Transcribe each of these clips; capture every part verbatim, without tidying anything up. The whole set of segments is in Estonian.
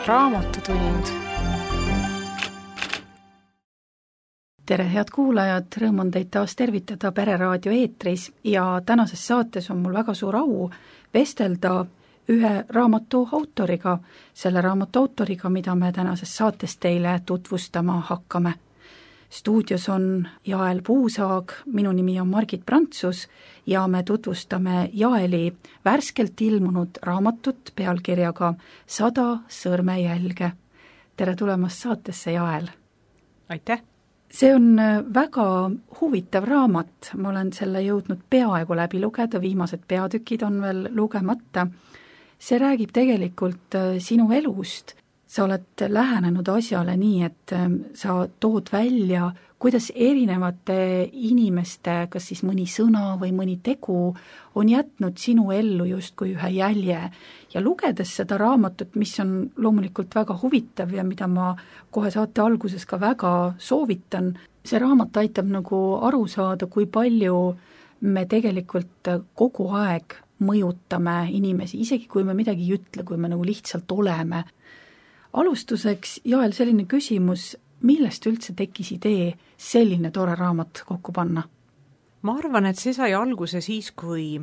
Raamatutund. Tere, head kuulajad, rõõm on teid taas tervitada Pereraadio eetris ja tänases saates on mul väga suur au vestelda ühe raamatu autoriga, selle raamatu autoriga, mida me tänases saates teile tutvustama hakkame. Stuudios on Jael Puusaag, minu nimi on Margit Prantsus ja me tutvustame Jaeli värskelt ilmunud raamatut pealkirjaga Sada sõrmejälge. Tere tulemast saatesse, Jael! Aitäh! See on väga huvitav raamat, ma olen selle jõudnud peaaegu läbi lugeda, viimased peatükid on veel lugemata. See räägib tegelikult sinu elust. Sa oled lähenenud asjale nii, et sa tood välja, kuidas erinevate inimeste, kas siis mõni sõna või mõni tegu on jätnud sinu ellu justkui ühe jälje. Ja lugedes seda raamatut, mis on loomulikult väga huvitav ja mida ma kohe saate alguses ka väga soovitan, see raamat aitab nagu aru saada, kui palju me tegelikult kogu aeg mõjutame inimesi, isegi kui me midagi ei ütle, kui me nagu lihtsalt oleme. Alustuseks, Jael, selline küsimus, millest üldse tekkis idee selline tore raamat kokku panna? Ma arvan, et see sai alguse siis, kui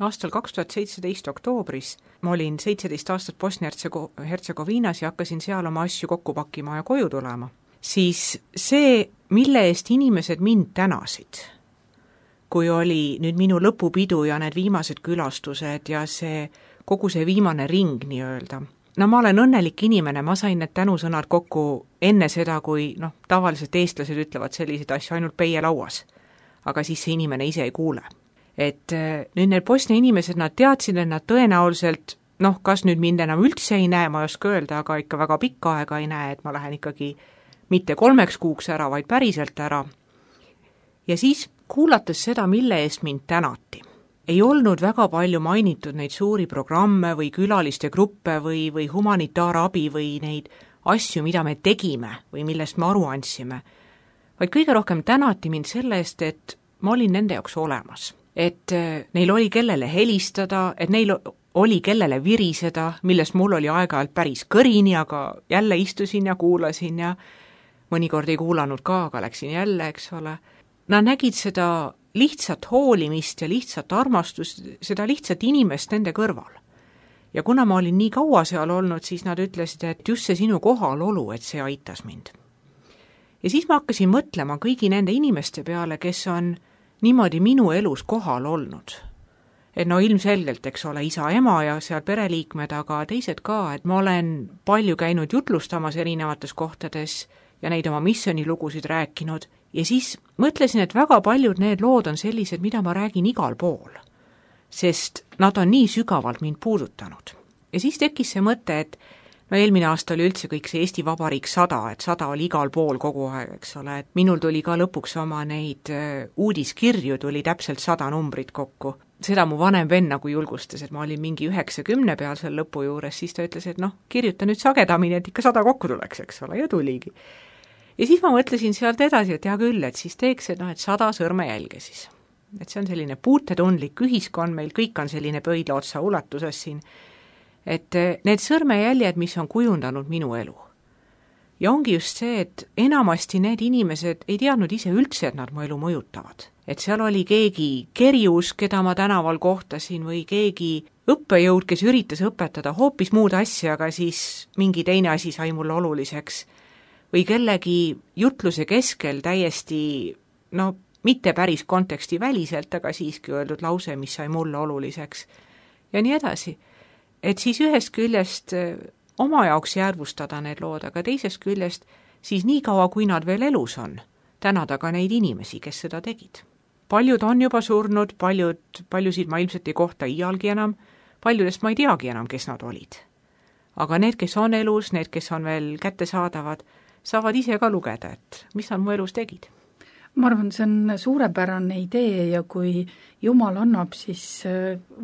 aastal kaks tuhat seitseteist oktoobris ma olin seitseteist aastat Bosnia-Hertsegoviinas ja hakkasin seal oma asju kokku pakkima ja koju tulema. Siis see, mille eest inimesed mind tänasid, kui oli nüüd minu lõpupidu ja need viimased külastused ja see, kogu see viimane ring nii-öelda, no ma olen õnnelik inimene, ma sain need tänusõnad kokku enne seda, kui noh, tavaliselt eestlased ütlevad selliseid asju ainult peie lauas, aga siis see inimene ise ei kuule. Et nüüd need Bosnia inimesed, nad teadsid, et nad tõenäoliselt, noh, kas nüüd mind enam üldse ei näe, ma ei oska öelda, aga ikka väga pikka aega ei näe, et ma lähen ikkagi mitte kolmeks kuuks ära, vaid päriselt ära. Ja siis kuulates seda, mille eest mind tänati, ei olnud väga palju mainitud neid suuri programme või külaliste gruppe või, või humanitaarabi või neid asju, mida me tegime või millest me aru andsime, vaid kõige rohkem tänati mind selle eest, et ma olin nende jaoks olemas. Et neil oli kellele helistada, et neil oli kellele viriseda, millest mul oli aeg-ajalt päris kõrini, aga jälle istusin ja kuulasin ja mõnikord ei kuulanud ka, aga läksin jälle, eks ole. Nad nägid seda lihtsat hoolimist ja lihtsat armastust, seda lihtsat inimest nende kõrval. Ja kuna ma olin nii kaua seal olnud, siis nad ütlesid, et just see sinu kohalolu, et see aitas mind. Ja siis ma hakkasin mõtlema kõigi nende inimeste peale, kes on niimoodi minu elus kohal olnud. Et no ilmselgelt, eks ole, isa, ema ja seal pereliikmed, aga teised ka, et ma olen palju käinud jutlustamas erinevates kohtades ja neid oma missionilugusid rääkinud. Ja siis mõtlesin, et väga paljud need lood on sellised, mida ma räägin igal pool, sest nad on nii sügavalt mind puudutanud. Ja siis tekkis see mõte, et no eelmine aasta oli üldse kõik see Eesti Vabariik sada, et sada oli igal pool kogu aeg, eks ole, et minul tuli ka lõpuks oma neid uudiskirju, tuli täpselt sada numbrit kokku. Seda mu vanem venn nagu julgustas, et ma olin mingi üheksakümne peal seal lõpu juures, siis ta ütles, et noh, kirjuta nüüd sagedamini, et ikka sada kokku tuleks, eks ole, ja tuligi. Ja siis ma mõtlesin sealt edasi, et hea küll, et siis teeks, et, no, et sada sõrmejälge siis. Et see on selline puutetundlik ühiskond, meil kõik on selline pöidla otsa ulatuses siin. Et need sõrmejäljed, mis on kujundanud minu elu. Ja ongi just see, et enamasti need inimesed ei teadnud ise üldse, et nad mu elu mõjutavad. Et seal oli keegi kerjus, keda ma tänaval kohtasin, või keegi õppejõud, kes üritas õpetada hoopis muud asja, aga siis mingi teine asi sai mulle oluliseks. Või kellegi jutluse keskel täiesti, no mitte päris konteksti väliselt, aga siiski öeldud lause, mis sai mulle oluliseks. Ja nii edasi. Et siis ühest küljest oma jaoks järvustada need lood, aga teisest küljest siis nii kaua, kui nad veel elus on, tänada ka neid inimesi, kes seda tegid. Paljud on juba surnud, paljud, paljusid ma ilmselt ei kohta iialgi enam, paljudest ma ei teagi enam, kes nad olid. Aga need, kes on elus, need, kes on veel kätte saadavad, saavad ise ka lugeda, et mis nad mu elus tegid. Ma arvan, see on suurepärane idee ja kui Jumal annab, siis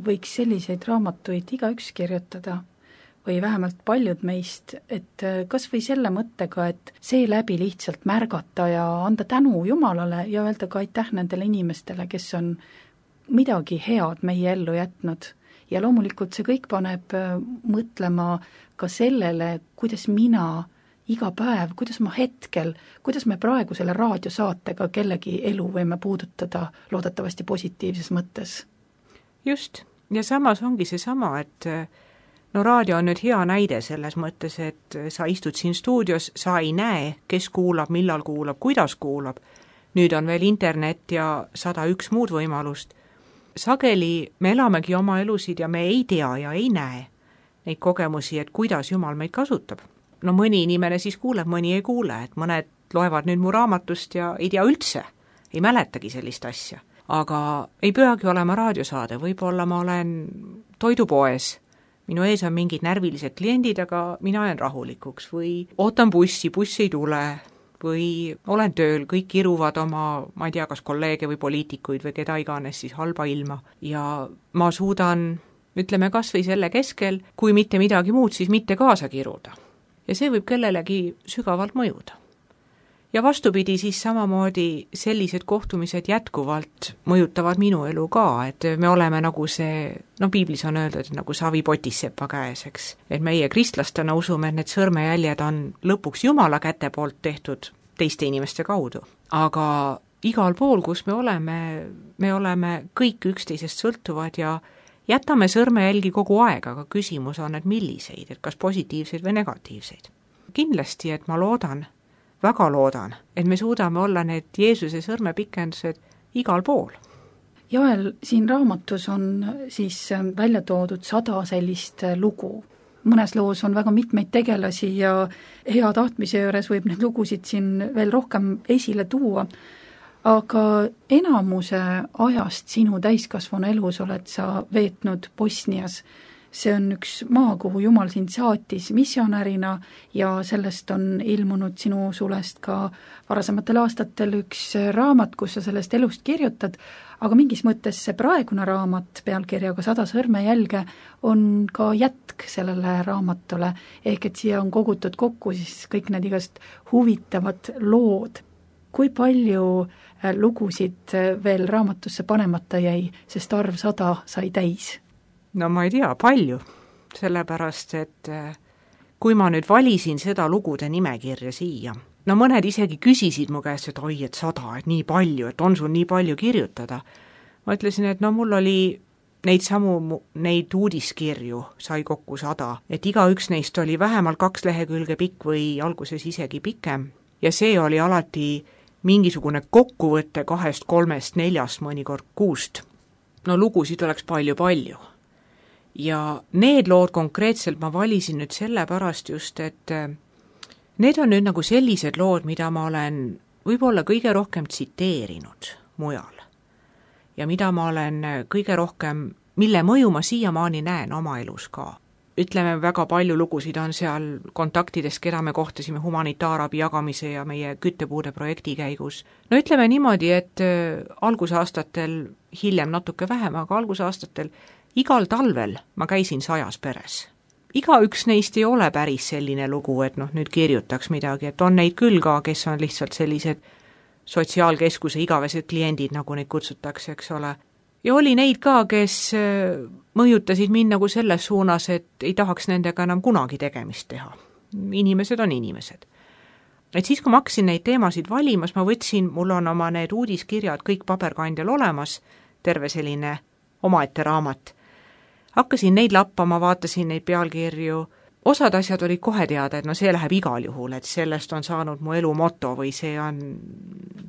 võiks selliseid raamatuid igaüks kirjutada või vähemalt paljud meist, et kas või selle mõttega, et seeläbi lihtsalt märgata ja anda tänu Jumalale ja öelda ka aitäh nendele inimestele, kes on midagi head meie ellu jätnud ja loomulikult see kõik paneb mõtlema ka sellele, kuidas mina iga päev, kuidas ma hetkel, kuidas me praegu selle raadiosaatega kellegi elu võime puudutada loodetavasti positiivses mõttes. Just, ja samas ongi see sama, et no raadio on nüüd hea näide selles mõttes, et sa istud siin stuudios, sa ei näe, kes kuulab, millal kuulab, kuidas kuulab. Nüüd on veel internet ja sada üks muud võimalust. Sageli me elamegi oma elusid ja me ei tea ja ei näe neid kogemusi, et kuidas Jumal meid kasutab. No mõni inimene siis kuuleb, mõni ei kuule, et mõned loevad nüüd mu raamatust ja ei tea üldse, ei mäletagi sellist asja. Aga ei peagi olema raadiosaade, võib-olla ma olen toidupoes, minu ees on mingid närvilised kliendid, aga mina jään rahulikuks või ootan bussi, buss ei tule või olen tööl, kõik kiruvad oma, ma ei tea, kas kolleege või poliitikuid või keda iganes siis halba ilma ja ma suudan, ütleme kas või selle keskel, kui mitte midagi muud, siis mitte kaasa kiruda. Ja see võib kellelegi sügavalt mõjuda. Ja vastupidi siis samamoodi sellised kohtumised jätkuvalt mõjutavad minu elu ka, et me oleme nagu see, no piiblis on öeldud, nagu savi potis sepa käes, eks. Et meie kristlastena usume, et need sõrmejäljed on lõpuks Jumala käte poolt tehtud teiste inimeste kaudu. Aga igal pool, kus me oleme, me oleme kõik üksteisest sõltuvad ja jätame sõrmejälgi kogu aeg, aga küsimus on, et milliseid, et kas positiivseid või negatiivseid. Kindlasti, et ma loodan, väga loodan, et me suudame olla need Jeesuse sõrmepikendused igal pool. Joel, siin raamatus on siis välja toodud sada sellist lugu. Mõnes loos on väga mitmeid tegelasi ja hea tahtmise juures võib neid lugusid siin veel rohkem esile tuua, aga enamuse ajast sinu täiskasvanu elus oled sa veetnud Bosnias. See on üks maa, kuhu Jumal sind saatis missionärina ja sellest on ilmunud sinu sulest ka varasematel aastatel üks raamat, kus sa sellest elust kirjutad, aga mingis mõttes see praegune raamat pealkirjaga sada sõrmejälge on ka jätk sellele raamatule, ehk et siia on kogutud kokku siis kõik need igast huvitavad lood. Kui palju lugusid veel raamatusse panemata jäi, sest arv sada sai täis? No ma ei tea, palju, sellepärast, et kui ma nüüd valisin seda lugude nimekirja siia, no mõned isegi küsisid mu käest, et oi, et sada, et nii palju, et on sul nii palju kirjutada. Ma ütlesin, et no mul oli neid samu, neid uudiskirju sai kokku sada, et iga üks neist oli vähemalt kaks lehekülge pikk või alguses isegi pikem ja see oli alati mingisugune kokkuvõte kahest, kolmest, neljast, mõnikord kuust. No lugusid oleks palju-palju. Ja need lood konkreetselt ma valisin nüüd sellepärast just, et need on nüüd nagu sellised lood, mida ma olen võib-olla kõige rohkem tsiteerinud mujal. Ja mida ma olen kõige rohkem, mille mõju ma siiamaani näen oma elus ka. Ütleme, väga palju lugusid on seal kontaktides, keda me kohtasime humanitaarabi jagamise ja meie küttepuude projekti käigus. No ütleme niimoodi, et algusaastatel, hiljem natuke vähem, aga algusaastatel igal talvel ma käisin sajas peres. Iga üks neist ei ole päris selline lugu, et noh, nüüd kirjutaks midagi, et on neid küll ka, kes on lihtsalt sellised sotsiaalkeskuse igavesed kliendid, nagu neid kutsutakse, eks ole. Ja oli neid ka, kes mõjutasid mind nagu selles suunas, et ei tahaks nendega enam kunagi tegemist teha. Inimesed on inimesed. Et siis, kui ma hakkasin neid teemasid valimas, ma võtsin, mul on oma need uudiskirjad kõik paberkandjal olemas, terve selline omaette raamat. Hakkasin neid lappama, vaatasin neid pealkirju. Osad asjad olid kohe teada, et no see läheb igal juhul, et sellest on saanud mu elu moto või see on,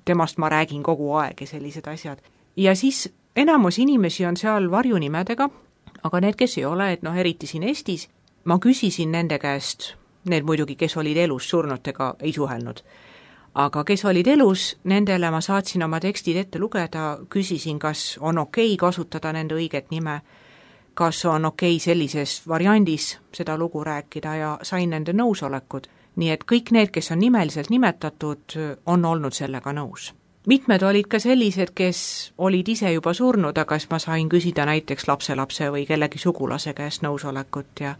temast ma räägin kogu aeg ja sellised asjad. Ja siis enamus inimesi on seal varjunimedega, aga need, kes ei ole, et noh, eriti siin Eestis, ma küsisin nende käest, need muidugi, kes olid elus, surnutega ei suhelnud, aga kes olid elus, nendele ma saatsin oma tekstid ette lugeda, küsisin, kas on okei kasutada nende õiget nime, kas on okei sellises variandis seda lugu rääkida ja sain nende nõusolekud. Nii et kõik need, kes on nimeliselt nimetatud, on olnud sellega nõus. Mitmed olid ka sellised, kes olid ise juba surnud, aga ma sain küsida näiteks lapselapse või kellegi sugulase käest nõusolekut ja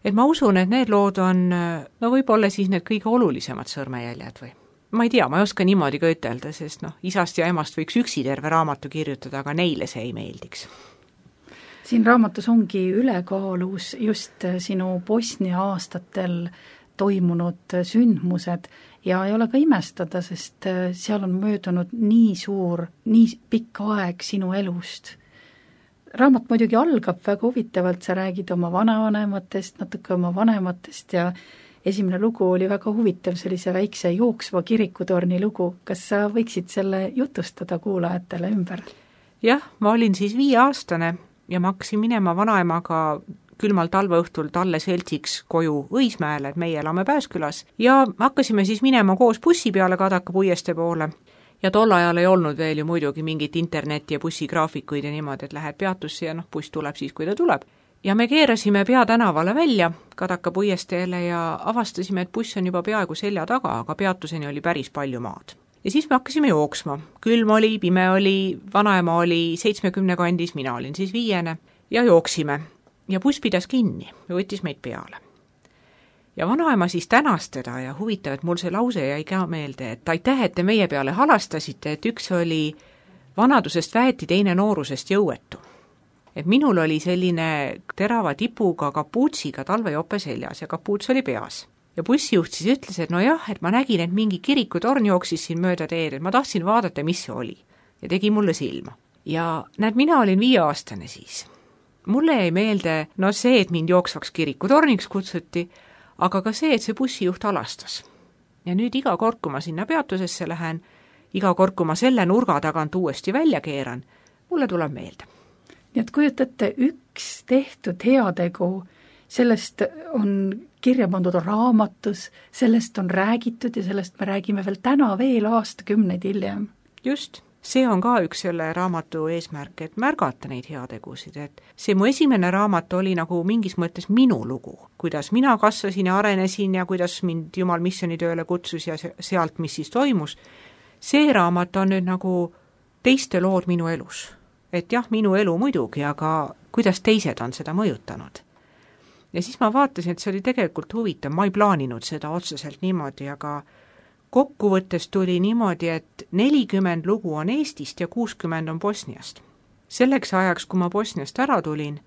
et ma usun, et need lood on, no võib-olla siis need kõige olulisemad sõrmejäljed või. Ma ei tea, ma ei oska niimoodi ka ütelda, sest noh, isast ja emast võiks üksi terve raamatu kirjutada, aga neile see ei meeldiks. siin raamatus ongi ülekaalus just sinu Bosnia aastatel toimunud sündmused ja ei ole ka imestada, sest seal on möödunud nii suur, nii pikk aeg sinu elust. Raamat muidugi algab väga huvitavalt, sa räägid oma vanavanematest, natuke oma vanematest ja esimene lugu oli väga huvitav, sellise väikse jooksva kirikutorni lugu. Kas sa võiksid selle jutustada kuulajatele ümber? Jah, ma olin siis viieaastane ja ma hakkasin minema vanaemaga külmal talveõhtul talle seltsiks koju Õismäele, et meie elame Pääskülas, ja hakkasime siis minema koos bussi peale Kadaka puiestee poole. Ja tol ajal ei olnud veel ju muidugi mingit interneti ja bussigraafikuid ja niimoodi, et lähed peatusse ja noh, buss tuleb siis, kui ta tuleb. Ja me keerasime peatänavale välja Kadaka puiesteele ja avastasime, et buss on juba peaaegu selja taga, aga peatuseni oli päris palju maad. Ja siis me hakkasime jooksma. Külm oli, pime oli, vanaema oli seitsmekümne kandis, mina olin siis viiene ja jooksime. Ja buss pidas kinni ja võttis meid peale. Ja vanaema siis tänas teda ja huvitav, et mul see lause jäi ka meelde, et aitäh, et te meie peale halastasite, et üks oli vanadusest väeti, teine noorusest jõuetu. Et minul oli selline terava tipuga kapuutsiga talvejope seljas ja kapuuts oli peas. Ja bussijuht siis ütles, et no jah, et ma nägin, et mingi kirikutorn jooksis siin mööda teed, et ma tahtsin vaadata, mis see oli. Ja tegi mulle silma. Ja näed, mina olin viieaastane siis. Mulle jäi meelde, no see, et mind jooksvaks kirikutorniks kutsuti, aga ka see, et see bussijuht alastas. Ja nüüd iga kord, kui ma sinna peatusesse lähen, iga kord, kui ma selle nurga tagant uuesti välja keeran, mulle tuleb meelde. Nii et kujutate, üks tehtud heategu, sellest on kirja pandud raamatus, sellest on räägitud ja sellest me räägime veel täna veel aastakümneid hiljem. Just. See on ka üks selle raamatu eesmärk, et märgata neid heategusid, et see mu esimene raamat oli nagu mingis mõttes minu lugu, kuidas mina kasvasin ja arenesin ja kuidas mind Jumal missioonitööle kutsus ja sealt, mis siis toimus. See raamat on nüüd nagu teiste lood minu elus. Et jah, minu elu muidugi, aga kuidas teised on seda mõjutanud. Ja siis ma vaatasin, et see oli tegelikult huvitav, ma ei plaaninud seda otseselt niimoodi, aga kokkuvõttes tuli niimoodi, et nelikümmend lugu on Eestist ja kuuskümmend on Bosniast. Selleks ajaks, kui ma Bosniast ära tulin,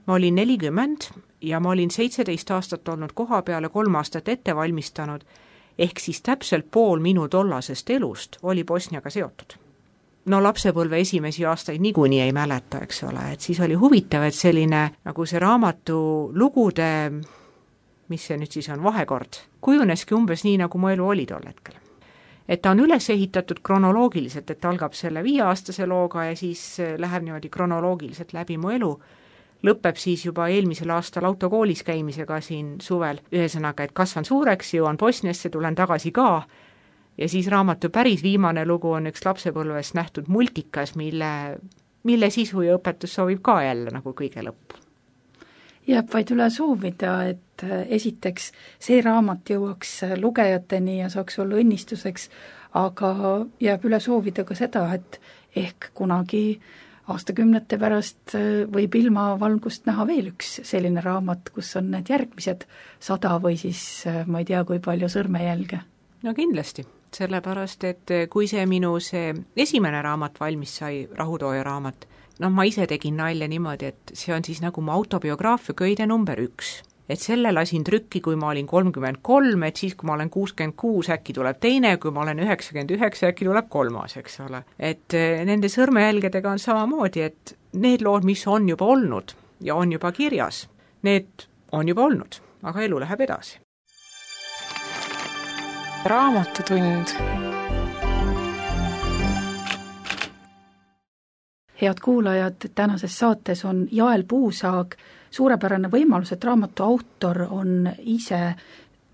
ma olin nelikümmend ja ma olin seitseteist aastat olnud koha peale, kolm aastat ette valmistanud, ehk siis täpselt pool minu tollasest elust oli Bosniaga seotud. No lapsepõlve esimesi aastaid niikuinii ei mäleta, eks ole, et siis oli huvitav, et selline nagu see raamatu lugude, mis see nüüd siis on, vahekord, kujuneski umbes nii, nagu mu elu oli tol hetkel. Et ta on üles ehitatud kronoloogiliselt, et algab selle viieaastase looga ja siis läheb niimoodi kronoloogiliselt läbi mu elu, lõpeb siis juba eelmisel aastal autokoolis käimisega siin suvel, ühesõnaga, et kasvan suureks, jõuan Bosniasse, tulen tagasi ka, ja siis raamatu päris viimane lugu on üks lapsepõlvest nähtud multikas, mille, mille sisu ja õpetus soovib ka jälle nagu kõige lõppu. Jääb vaid üle soovida, et esiteks see raamat jõuaks lugejateni ja saaks olla õnnistuseks, aga jääb üle soovida ka seda, et ehk kunagi aastakümnete pärast võib ilmavalgust näha veel üks selline raamat, kus on need järgmised sada või siis ma ei tea, kui palju sõrmejälge. No kindlasti, sellepärast, et kui see minu see esimene raamat valmis sai, Rahutooja raamat, noh, ma ise tegin nalja niimoodi, et see on siis nagu mu autobiograafia köide number üks. Et selle lasin trükki, kui ma olin kolmkümmend kolm, et siis, kui ma olen kuuskümmend kuus, äkki tuleb teine, kui ma olen üheksakümmend üheksa, äkki tuleb kolmas, eks ole. Et nende sõrmejälgedega on samamoodi, et need lood, mis on juba olnud ja on juba kirjas, need on juba olnud, aga elu läheb edasi. Raamatutund. Head kuulajad, tänases saates on Jael Puusaag, suurepärane võimalus, et raamatu autor on ise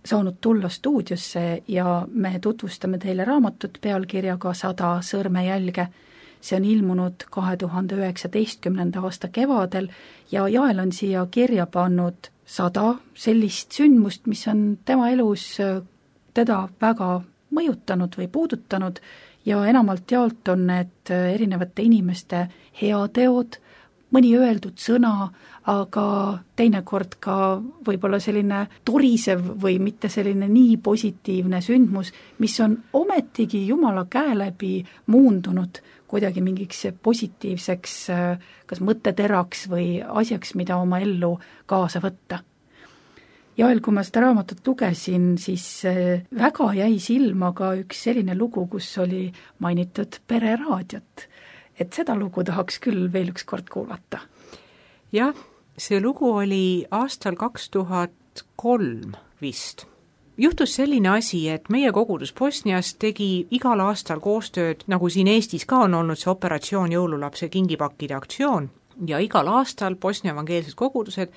saanud tulla stuudiosse ja me tutvustame teile raamatut pealkirjaga sada sõrmejälge. See on ilmunud kahe tuhande üheksateistkümnenda aasta kevadel ja Jael on siia kirja pannud sada sellist sündmust, mis on tema elus teda väga mõjutanud või puudutanud ja enamalt jaolt on need erinevate inimeste heateod, mõni öeldud sõna, aga teinekord ka võib-olla selline torisev või mitte selline nii positiivne sündmus, mis on ometigi Jumala käe läbi muundunud kuidagi mingiks positiivseks kas mõtteteraks või asjaks, mida oma ellu kaasa võtta. Ja veel, kui ma seda raamatut lugesin, siis väga jäi silma ka üks selline lugu, kus oli mainitud pereraadiot. Et seda lugu tahaks küll veel üks kord kuulata. Jah, see lugu oli aastal kaks tuhat kolm vist. Juhtus selline asi, et meie kogudus Bosnias tegi igal aastal koostööd, nagu siin Eestis ka on olnud see operatsioon jõululapse kingipakkide aktsioon, ja igal aastal Bosnia evangeelsed kogudused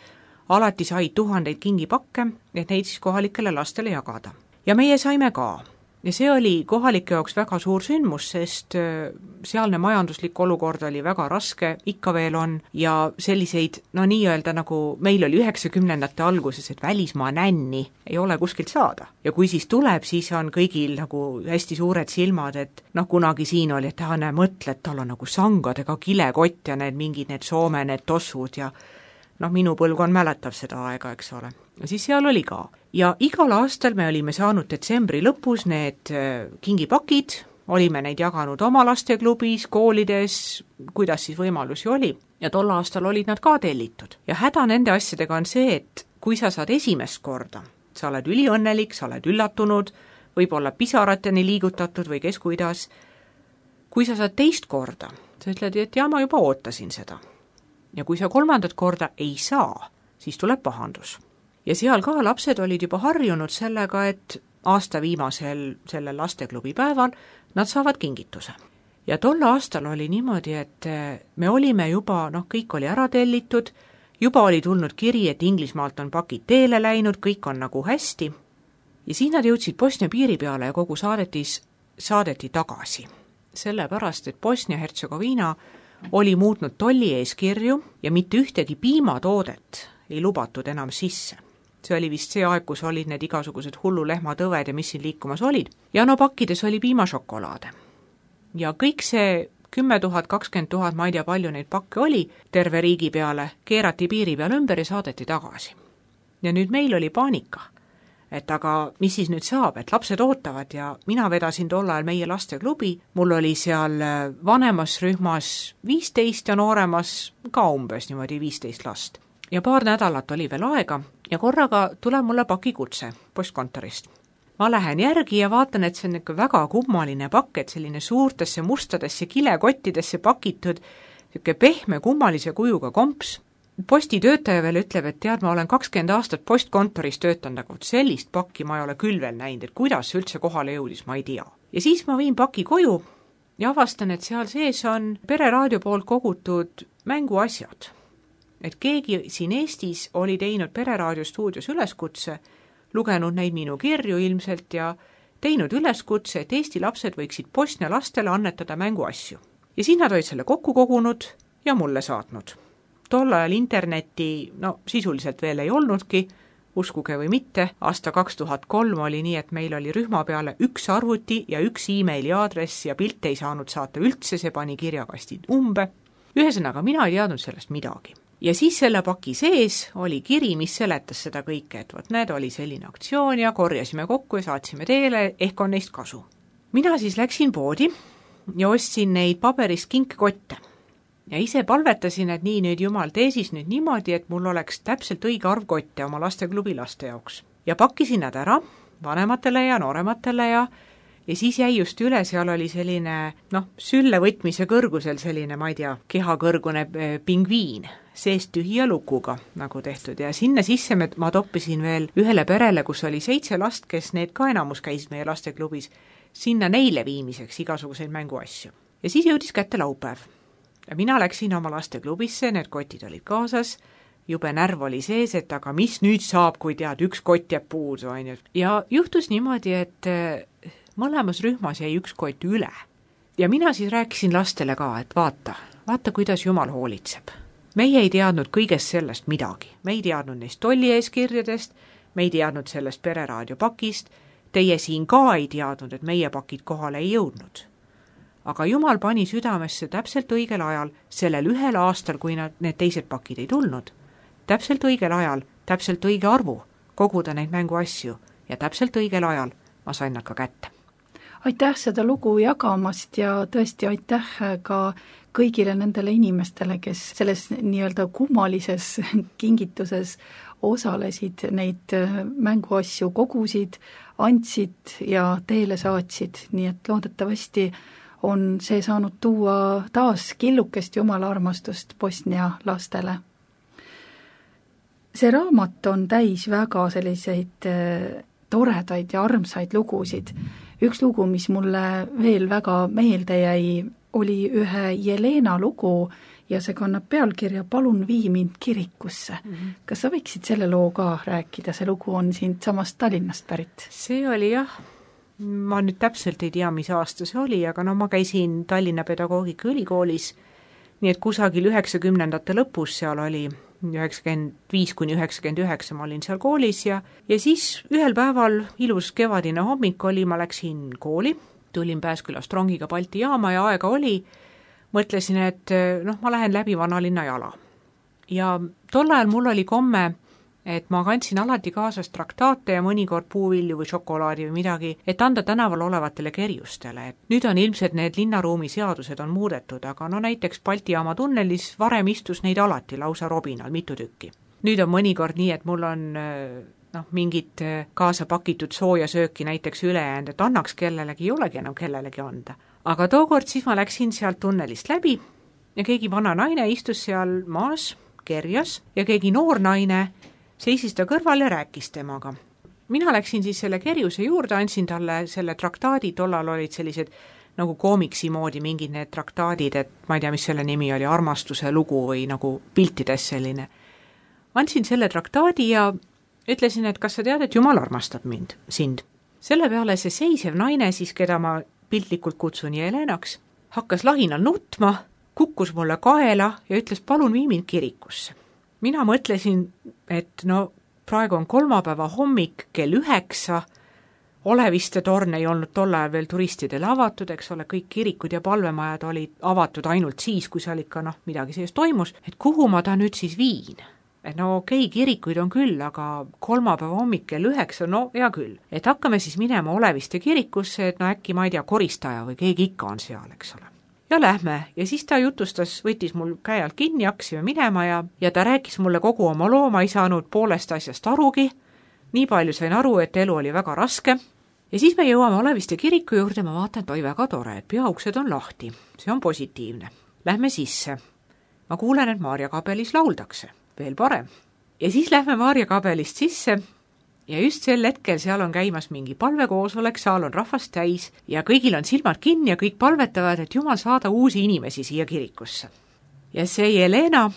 alati said tuhandeid kingipakke, et neid siis kohalikele lastele jagada. Ja meie saime ka. Ja see oli kohalike jaoks väga suur sündmus, sest sealne majanduslik olukord oli väga raske, ikka veel on, ja selliseid, no nii-öelda nagu meil oli üheksakümnendate alguses, et välismaa nänni ei ole kuskilt saada. Ja kui siis tuleb, siis on kõigil nagu hästi suured silmad, et noh, kunagi siin oli, et ta näe mõtle, et tal on nagu sangadega kilekott ja need mingid need Soome, need tossud ja noh, minu põlvkond mäletab seda aega, eks ole. Ja siis seal oli ka. Ja igal aastal me olime saanud detsembri lõpus need kingipakid, olime neid jaganud oma lasteklubis, koolides, kuidas siis võimalusi oli, ja tol aastal olid nad ka tellitud. Ja häda nende asjadega on see, et kui sa saad esimest korda, sa oled üliõnnelik, sa oled üllatunud, võib-olla pisarateni liigutatud või kes kuidas, kui sa saad teist korda, sa ütled, et ja ma juba ootasin seda. Ja kui sa kolmandat korda ei saa, siis tuleb pahandus. Ja seal ka lapsed olid juba harjunud sellega, et aasta viimasel sellel lasteklubi päeval nad saavad kingituse. Ja tol aastal oli niimoodi, et me olime juba, noh, kõik oli ära tellitud, juba oli tulnud kiri, et Inglismaalt on pakid teele läinud, kõik on nagu hästi. Ja siis nad jõudsid Bosnia piiri peale ja kogu saadetis saadeti tagasi. Sellepärast, et Bosnia-Hertsegoviina oli muutnud tolli eeskirju ja mitte ühtegi piimatoodet ei lubatud enam sisse. See oli vist see aeg, kus olid need igasugused hullulehmatõved ja mis siin liikumas olid. Ja no pakkides oli piimašokolaade. Ja kõik see kümme tuhat, kakskümmend tuhat, ma ei tea palju neid pakke oli, terve riigi peale, keerati piiri peale ümber ja saadeti tagasi. Ja nüüd meil oli paanika, et aga mis siis nüüd saab, et lapsed ootavad ja mina vedasin tol ajal meie lasteklubi, mul oli seal vanemas rühmas viisteist ja nooremas ka umbes niimoodi viisteist last. Ja paar nädalat oli veel aega ja korraga tuleb mulle pakikutse postkontorist. Ma lähen järgi ja vaatan, et see on ikka väga kummaline pakk, et selline suurtesse mustadesse kilekottidesse pakitud, siuke pehme kummalise kujuga komps. Postitöötaja veel ütleb, et tead, ma olen kakskümmend aastat postkontoris töötanud, aga sellist pakki ma ei ole küll veel näinud, et kuidas see üldse kohale jõudis, ma ei tea. Ja siis ma viin paki koju ja avastan, et seal sees on pereraadio poolt kogutud mänguasjad. Et keegi siin Eestis oli teinud Pereraadio stuudios üleskutse, lugenud neid minu kirju ilmselt ja teinud üleskutse, et Eesti lapsed võiksid Bosnia lastele annetada mänguasju. Ja siis nad olid selle kokku kogunud ja mulle saatnud. Tol ajal interneti, no sisuliselt veel ei olnudki, uskuge või mitte, aasta kaks tuhat kolm oli nii, et meil oli rühma peale üks arvuti ja üks e-maili aadress ja pilte ei saanud saata üldse, see pani kirjakastid umbe. Ühesõnaga, mina ei teadnud sellest midagi. Ja siis selle paki sees oli kiri, mis seletas seda kõike, et võt need oli selline aktsioon ja korjasime kokku ja saatsime teele, ehk on neist kasu. Mina siis läksin poodi ja ostsin neid paberist kinkkotte. Ja ise palvetasin, et nii nüüd Jumal tee siis nüüd niimoodi, et mul oleks täpselt õige arv kotte oma lasteklubi laste jaoks. Ja pakkisin nad ära vanematele ja noorematele ja Ja siis jäi just üle, seal oli selline, noh, sülle võtmise kõrgusel selline, ma ei tea, kehakõrgune pingviin, seest tühja lukuga nagu tehtud. Ja sinna sisse ma toppisin veel ühele perele, kus oli seitse last, kes need ka enamus käis meie lasteklubis, sinna neile viimiseks igasuguseid mänguasju. Ja siis jõudis kätte laupäev. Ja mina läksin oma lasteklubisse, need kotid olid kaasas, jube närv oli sees, et aga mis nüüd saab, kui tead, üks kott jääb puudu, on ju. Ja juhtus niimoodi, et mõlemas rühmas jäi üks kott üle. Ja mina siis rääkisin lastele ka, et vaata, vaata, kuidas Jumal hoolitseb. Meie ei teadnud kõigest sellest midagi. Me ei teadnud neist tolli eeskirjadest, me ei teadnud sellest pereraadio pakist, teie siin ka ei teadnud, et meie pakid kohale ei jõudnud. aga Jumal pani südamesse täpselt õigel ajal, sellel ühel aastal, kui nad, need teised pakid ei tulnud, täpselt õigel ajal, täpselt õige arvu koguda neid mänguasju ja täpselt õigel ajal ma sain nad ka kätte. Aitäh seda lugu jagamast ja tõesti aitäh ka kõigile nendele inimestele, kes selles nii-öelda kummalises kingituses osalesid, neid mänguasju kogusid, andsid ja teele saatsid, nii et loodetavasti on see saanud tuua taas killukest Jumala armastust Bosnia lastele. See raamat on täis väga selliseid toredaid ja armsaid lugusid. Üks lugu, mis mulle veel väga meelde jäi, oli ühe Jelena lugu ja see kannab pealkirja Palun vii mind kirikusse. Mm-hmm. Kas sa võiksid selle loo ka rääkida? See lugu on siin samast Tallinnast pärit. See oli jah, ma nüüd täpselt ei tea, mis aasta see oli, aga no ma käisin Tallinna Pedagoogika Ülikoolis, nii et kusagil üheksakümnendate lõpus seal oli üheksakümmend viis kuni üheksakümmend üheksa ma olin seal koolis ja, ja siis ühel päeval ilus kevadine hommik oli, ma läksin kooli, tulin Pääskülast rongiga Balti jaama ja aega oli, mõtlesin, et noh, ma lähen läbi vanalinna jala. Ja tol ajal mul oli komme, et ma kandsin alati kaasas traktaate ja mõnikord puuvilju või šokolaadi või midagi, et anda tänaval olevatele kerjustele. Et nüüd on ilmselt need linnaruumi seadused on muudetud, aga no näiteks Balti jaama tunnelis varem istus neid alati lausa robinal mitu tükki. Nüüd on mõnikord nii, et mul on noh, mingit kaasa pakitud sooja sööki näiteks ülejäänud, et annaks kellelegi, ei olegi enam kellelegi anda. Aga tookord siis ma läksin sealt tunnelist läbi ja keegi vana naine istus seal maas, kerjas ja keegi noor naine seisis ta kõrval ja rääkis temaga. Mina läksin siis selle kerjuse juurde, andsin talle selle traktaadi, tollal olid sellised nagu koomiksi moodi mingid need traktaadid, et ma ei tea, mis selle nimi oli, armastuse lugu või nagu piltides selline. Andsin selle traktaadi ja ütlesin, et kas sa tead, et Jumal armastab mind, sind. Selle peale see seisev naine siis, keda ma piltlikult kutsun Jelenaks, hakkas lahinal nutma, kukkus mulle kaela ja ütles, palun vii mind kirikusse. Mina mõtlesin, et no praegu on kolmapäeva hommik kell üheksa, Oleviste torn ei olnud tol ajal veel turistidele avatud, eks ole, kõik kirikud ja palvemajad olid avatud ainult siis, kui seal ikka noh, midagi sees toimus, et kuhu ma ta nüüd siis viin? Et no okei, okay, kirikuid on küll, aga kolmapäeva hommik kell üheksa, no hea küll. Et hakkame siis minema Oleviste kirikusse, et no äkki ma ei tea, koristaja või keegi ikka on seal, eks ole. Ja lähme ja siis ta jutustas, võttis mul käe alt kinni, hakkasime minema ja, ja ta rääkis mulle kogu oma loo, ma ei saanud poolest asjast arugi, nii palju sain aru, et elu oli väga raske ja siis me jõuame Oleviste kiriku juurde, ma vaatan, et oi väga tore, et peauksed on lahti, see on positiivne. Lähme sisse, ma kuulen, et Maarja kabelis lauldakse, veel parem. Ja siis lähme Maarja kabelist sisse ja just sel hetkel seal on käimas mingi palvekoosolek, saal on rahvast täis ja kõigil on silmad kinni ja kõik palvetavad, et Jumal saada uusi inimesi siia kirikusse. Ja see Jelena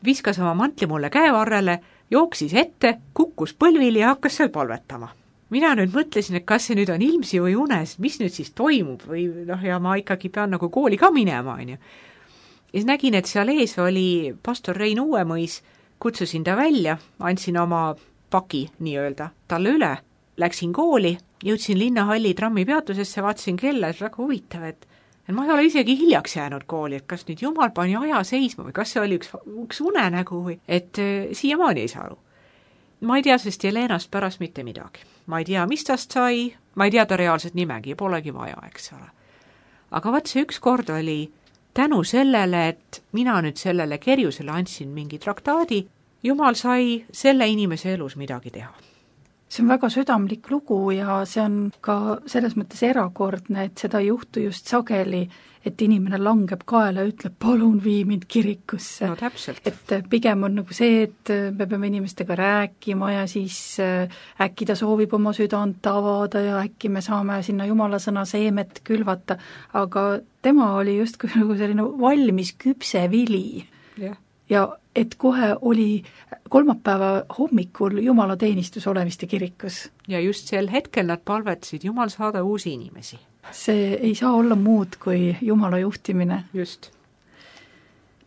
viskas oma mantli mulle käevarrele, jooksis ette, kukkus põlvili ja hakkas seal palvetama. Mina nüüd mõtlesin, et kas see nüüd on ilmsi või unes, mis nüüd siis toimub või noh, ja ma ikkagi pean nagu kooli ka minema, on ju. Ja siis nägin, et seal ees oli pastor Rein Uuemõis, kutsusin ta välja, andsin oma paki nii-öelda talle üle, läksin kooli, jõudsin linnahalli trammipeatusesse, vaatasin kella, et väga huvitav, et, et ma ei ole isegi hiljaks jäänud kooli, et kas nüüd Jumal pani aja seisma või kas see oli üks, üks unenägu või, et äh, siiamaani ei saa aru. Ma ei tea sest Jelenast pärast mitte midagi. Ma ei tea, mis tast sai, ma ei tea ta reaalset nimegi, polegi vaja, eks ole. Aga vaat see üks kord oli tänu sellele, et mina nüüd sellele kerjusele andsin mingi traktaadi, Jumal sai selle inimese elus midagi teha. See on väga südamlik lugu ja see on ka selles mõttes erakordne, et seda juhtu just sageli, et inimene langeb kaela ja ütleb, palun vii mind kirikusse. No täpselt. Et pigem on nagu see, et me peame inimestega rääkima ja siis äkki ta soovib oma südant avada ja äkki me saame sinna Jumala sõna seemet külvata, aga tema oli just nagu selline valmis küpse vili. Jah. Ja et kohe oli kolmapäeva hommikul Jumala teenistus Oleviste kirikus. Ja just sel hetkel nad palvetasid Jumal saada uusi inimesi. See ei saa olla muud kui Jumala juhtimine. Just.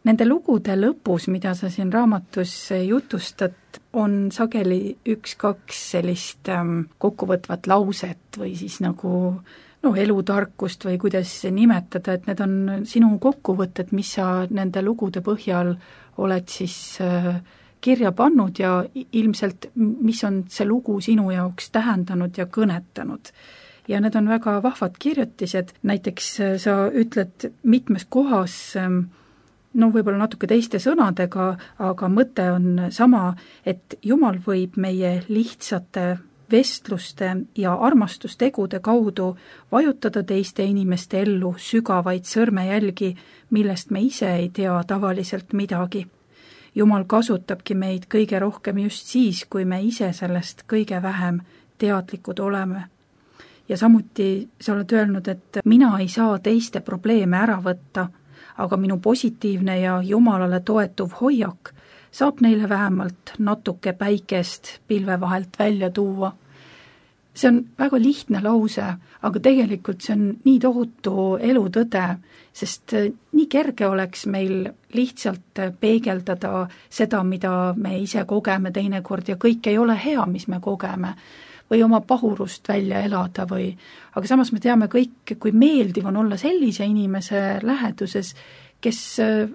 Nende lugude lõpus, mida sa siin raamatus jutustad, on sageli üks-kaks sellist ähm, kokkuvõtvat lauset või siis nagu no elutarkust või kuidas nimetada, et need on sinu kokkuvõtted, mis sa nende lugude põhjal oled siis äh, kirja pannud ja ilmselt, mis on see lugu sinu jaoks tähendanud ja kõnetanud. Ja need on väga vahvad kirjutised, näiteks sa ütled mitmes kohas, no võib-olla natuke teiste sõnadega, aga mõte on sama, et Jumal võib meie lihtsate vestluste ja armastustegude kaudu vajutada teiste inimeste ellu sügavaid sõrmejälgi, millest me ise ei tea tavaliselt midagi. Jumal kasutabki meid kõige rohkem just siis, kui me ise sellest kõige vähem teadlikud oleme. Ja samuti sa oled öelnud, et mina ei saa teiste probleeme ära võtta, aga minu positiivne ja Jumalale toetuv hoiak saab neile vähemalt natuke päikest pilve vahelt välja tuua. See on väga lihtne lause, aga tegelikult see on nii tohutu elutõde, sest nii kerge oleks meil lihtsalt peegeldada seda, mida me ise kogeme teinekord ja kõik ei ole hea, mis me kogeme, või oma pahurust välja elada või, aga samas me teame kõik, kui meeldiv on olla sellise inimese läheduses, kes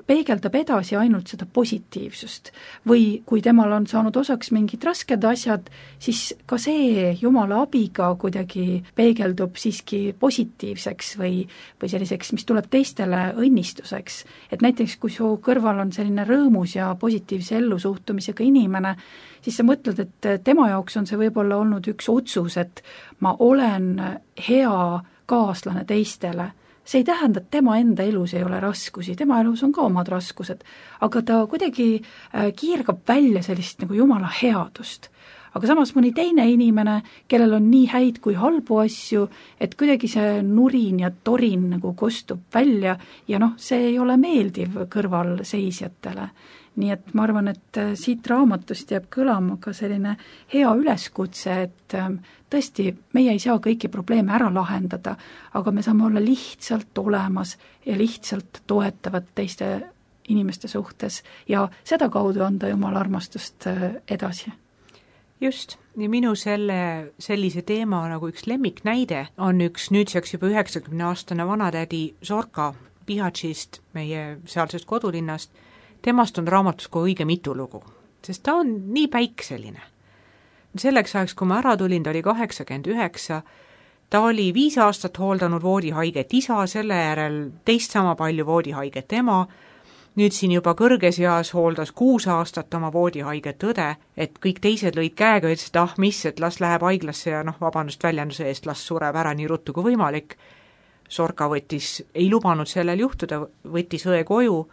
peegeldab edasi ainult seda positiivsust. Või kui temal on saanud osaks mingid rasked asjad, siis ka see Jumala abiga kuidagi peegeldub siiski positiivseks või, või selliseks, mis tuleb teistele õnnistuseks. Et näiteks, kui su kõrval on selline rõõmus ja positiivse ellusuhtumisega inimene, siis sa mõtled, et tema jaoks on see võib-olla olnud üks otsus, et ma olen hea kaaslane teistele. See ei tähenda, et tema enda elus ei ole raskusi, tema elus on ka omad raskused, aga ta kuidagi kiirgab välja sellist nagu Jumala headust. Aga samas mõni teine inimene, kellel on nii häid kui halbu asju, et kuidagi see nurin ja torin nagu kostub välja ja noh, see ei ole meeldiv kõrvalseisjatele. Nii et ma arvan, et siit raamatust jääb kõlama ka selline hea üleskutse, et tõesti, meie ei saa kõiki probleeme ära lahendada, aga me saame olla lihtsalt olemas ja lihtsalt toetavad teiste inimeste suhtes ja seda kaudu anda Jumala armastust edasi. Just, ja minu selle, sellise teema nagu üks lemmiknäide on üks nüüdseks juba üheksakümne aastane vanatädi Zorka Bihaćist, meie sealsest kodulinnast. Temast on raamatus kui õige mitu lugu, sest ta on nii päikseline. Selleks ajaks, kui ma ära tulin, ta oli kaheksakümmend üheksa, ta oli viis aastat hooldanud voodihaiget isa, selle järel teist sama palju voodihaiget ema, nüüd siin juba kõrges eas hooldas kuus aastat oma voodihaiget õde, et kõik teised lõid käega ja ütlesid, et ah mis, et las läheb haiglasse ja noh, vabandust väljenduse eest, las sureb ära nii ruttu kui võimalik. Zorka võttis, ei lubanud sellel juhtuda, võttis õe koju,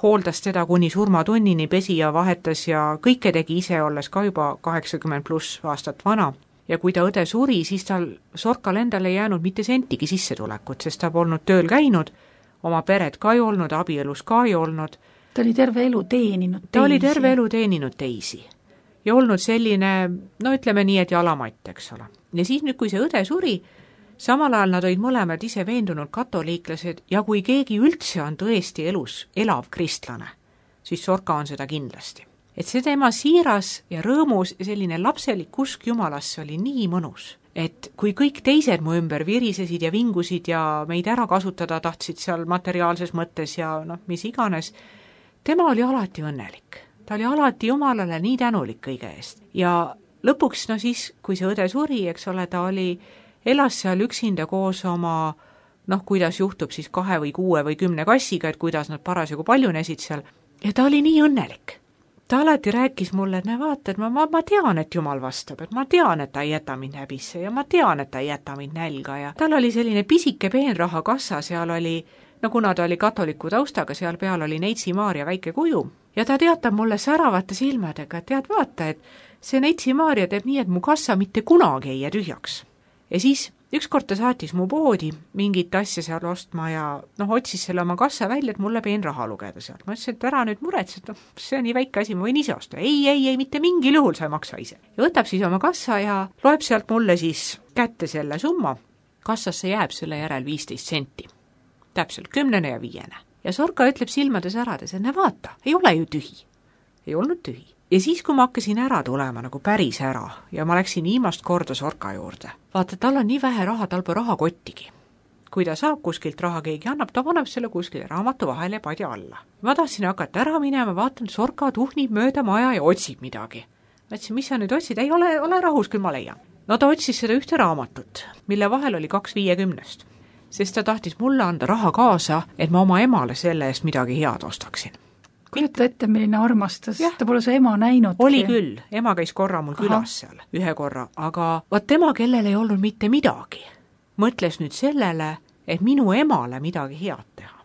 hooldas teda kuni surmatunnini, pesi ja vahetas ja kõike tegi ise, olles ka juba kaheksakümmend pluss aastat vana. Ja kui ta õde suri, siis tal Zorkal endale ei jäänud mitte sentigi sissetulekut, sest ta polnud tööl käinud, oma peret ka ei olnud, abielus ka ei olnud. Ta oli terve elu teeninud teisi. Ta oli terve elu teeninud teisi. Ja olnud selline, no ütleme nii, et jalamatt, eks ole. Ja siis nüüd, kui see õde suri, samal ajal nad olid mõlemad ise veendunud katoliiklased ja kui keegi üldse on tõesti elus elav kristlane, siis Zorka on seda kindlasti. Et see tema siiras ja rõõmus ja selline lapselik usk Jumalasse oli nii mõnus, et kui kõik teised mu ümber virisesid ja vingusid ja meid ära kasutada tahtsid seal materiaalses mõttes ja noh, mis iganes, tema oli alati õnnelik. Ta oli alati Jumalale nii tänulik kõige eest. Ja lõpuks, no siis, kui see õde suri, eks ole, ta oli elas seal üksinda koos oma, noh, kuidas juhtub siis kahe või kuue või kümne kassiga, et kuidas nad parasjagu paljunesid seal. Ja ta oli nii õnnelik. Ta alati rääkis mulle, et ne vaata, et ma, ma, ma tean, et Jumal vastab, et ma tean, et ta ei jäta mind häbisse ja ma tean, et ta ei jäta mind nälga ja tal oli selline pisike peenraha kassa, seal oli, no kuna ta oli katoliku taustaga, seal peal oli Neitsi Maarja väike kuju ja ta teatab mulle säravate silmadega, et tead vaata, et see Neitsi Maarja teeb nii, et mu kassa mitte kunagi ei jää tühjaks. Ja siis ükskord ta saatis mu poodi mingit asja seal ostma ja noh, otsis selle oma kassa välja, et mulle peen raha lugeda sealt. Ma ütlesin, et ära nüüd muretsed, no, see on nii väike asi, ma võin ise osta. Ei, ei, ei, mitte mingil juhul sa ei maksa ise. Ja võtab siis oma kassa ja loeb sealt mulle siis kätte selle summa. Kassasse jääb selle järel viisteist senti. Täpselt kümnene ja viiene. Ja Zorka ütleb silmades ärades, et ne vaata, ei ole ju tühi. Ei olnud tühi. Ja siis, kui ma hakkasin ära tulema nagu päris ära ja ma läksin viimast korda Zorka juurde, vaata, tal on nii vähe raha, tal pole raha kottigi. kui ta saab kuskilt raha, keegi annab, ta paneb selle kuskile raamatu vahele ja padja alla. Ma tahtsin hakata ära minema, vaatan, Sorka tuhnib mööda maja ja otsib midagi. Mõtlesin, mis sa nüüd otsid? Ei ole, ole rahus, küll ma leian. No ta otsis seda ühte raamatut, mille vahel oli kaks viiekümnest, sest ta tahtis mulle anda raha kaasa, et ma oma emale selle eest midagi head ostaksin. Kujuta ette, milline armastus, ta pole su ema näinudki. Oli küll, ema käis korra mul Aha. külas seal, ühe korra, aga vaat tema, kellel ei olnud mitte midagi, mõtles nüüd sellele, et minu emale midagi head teha.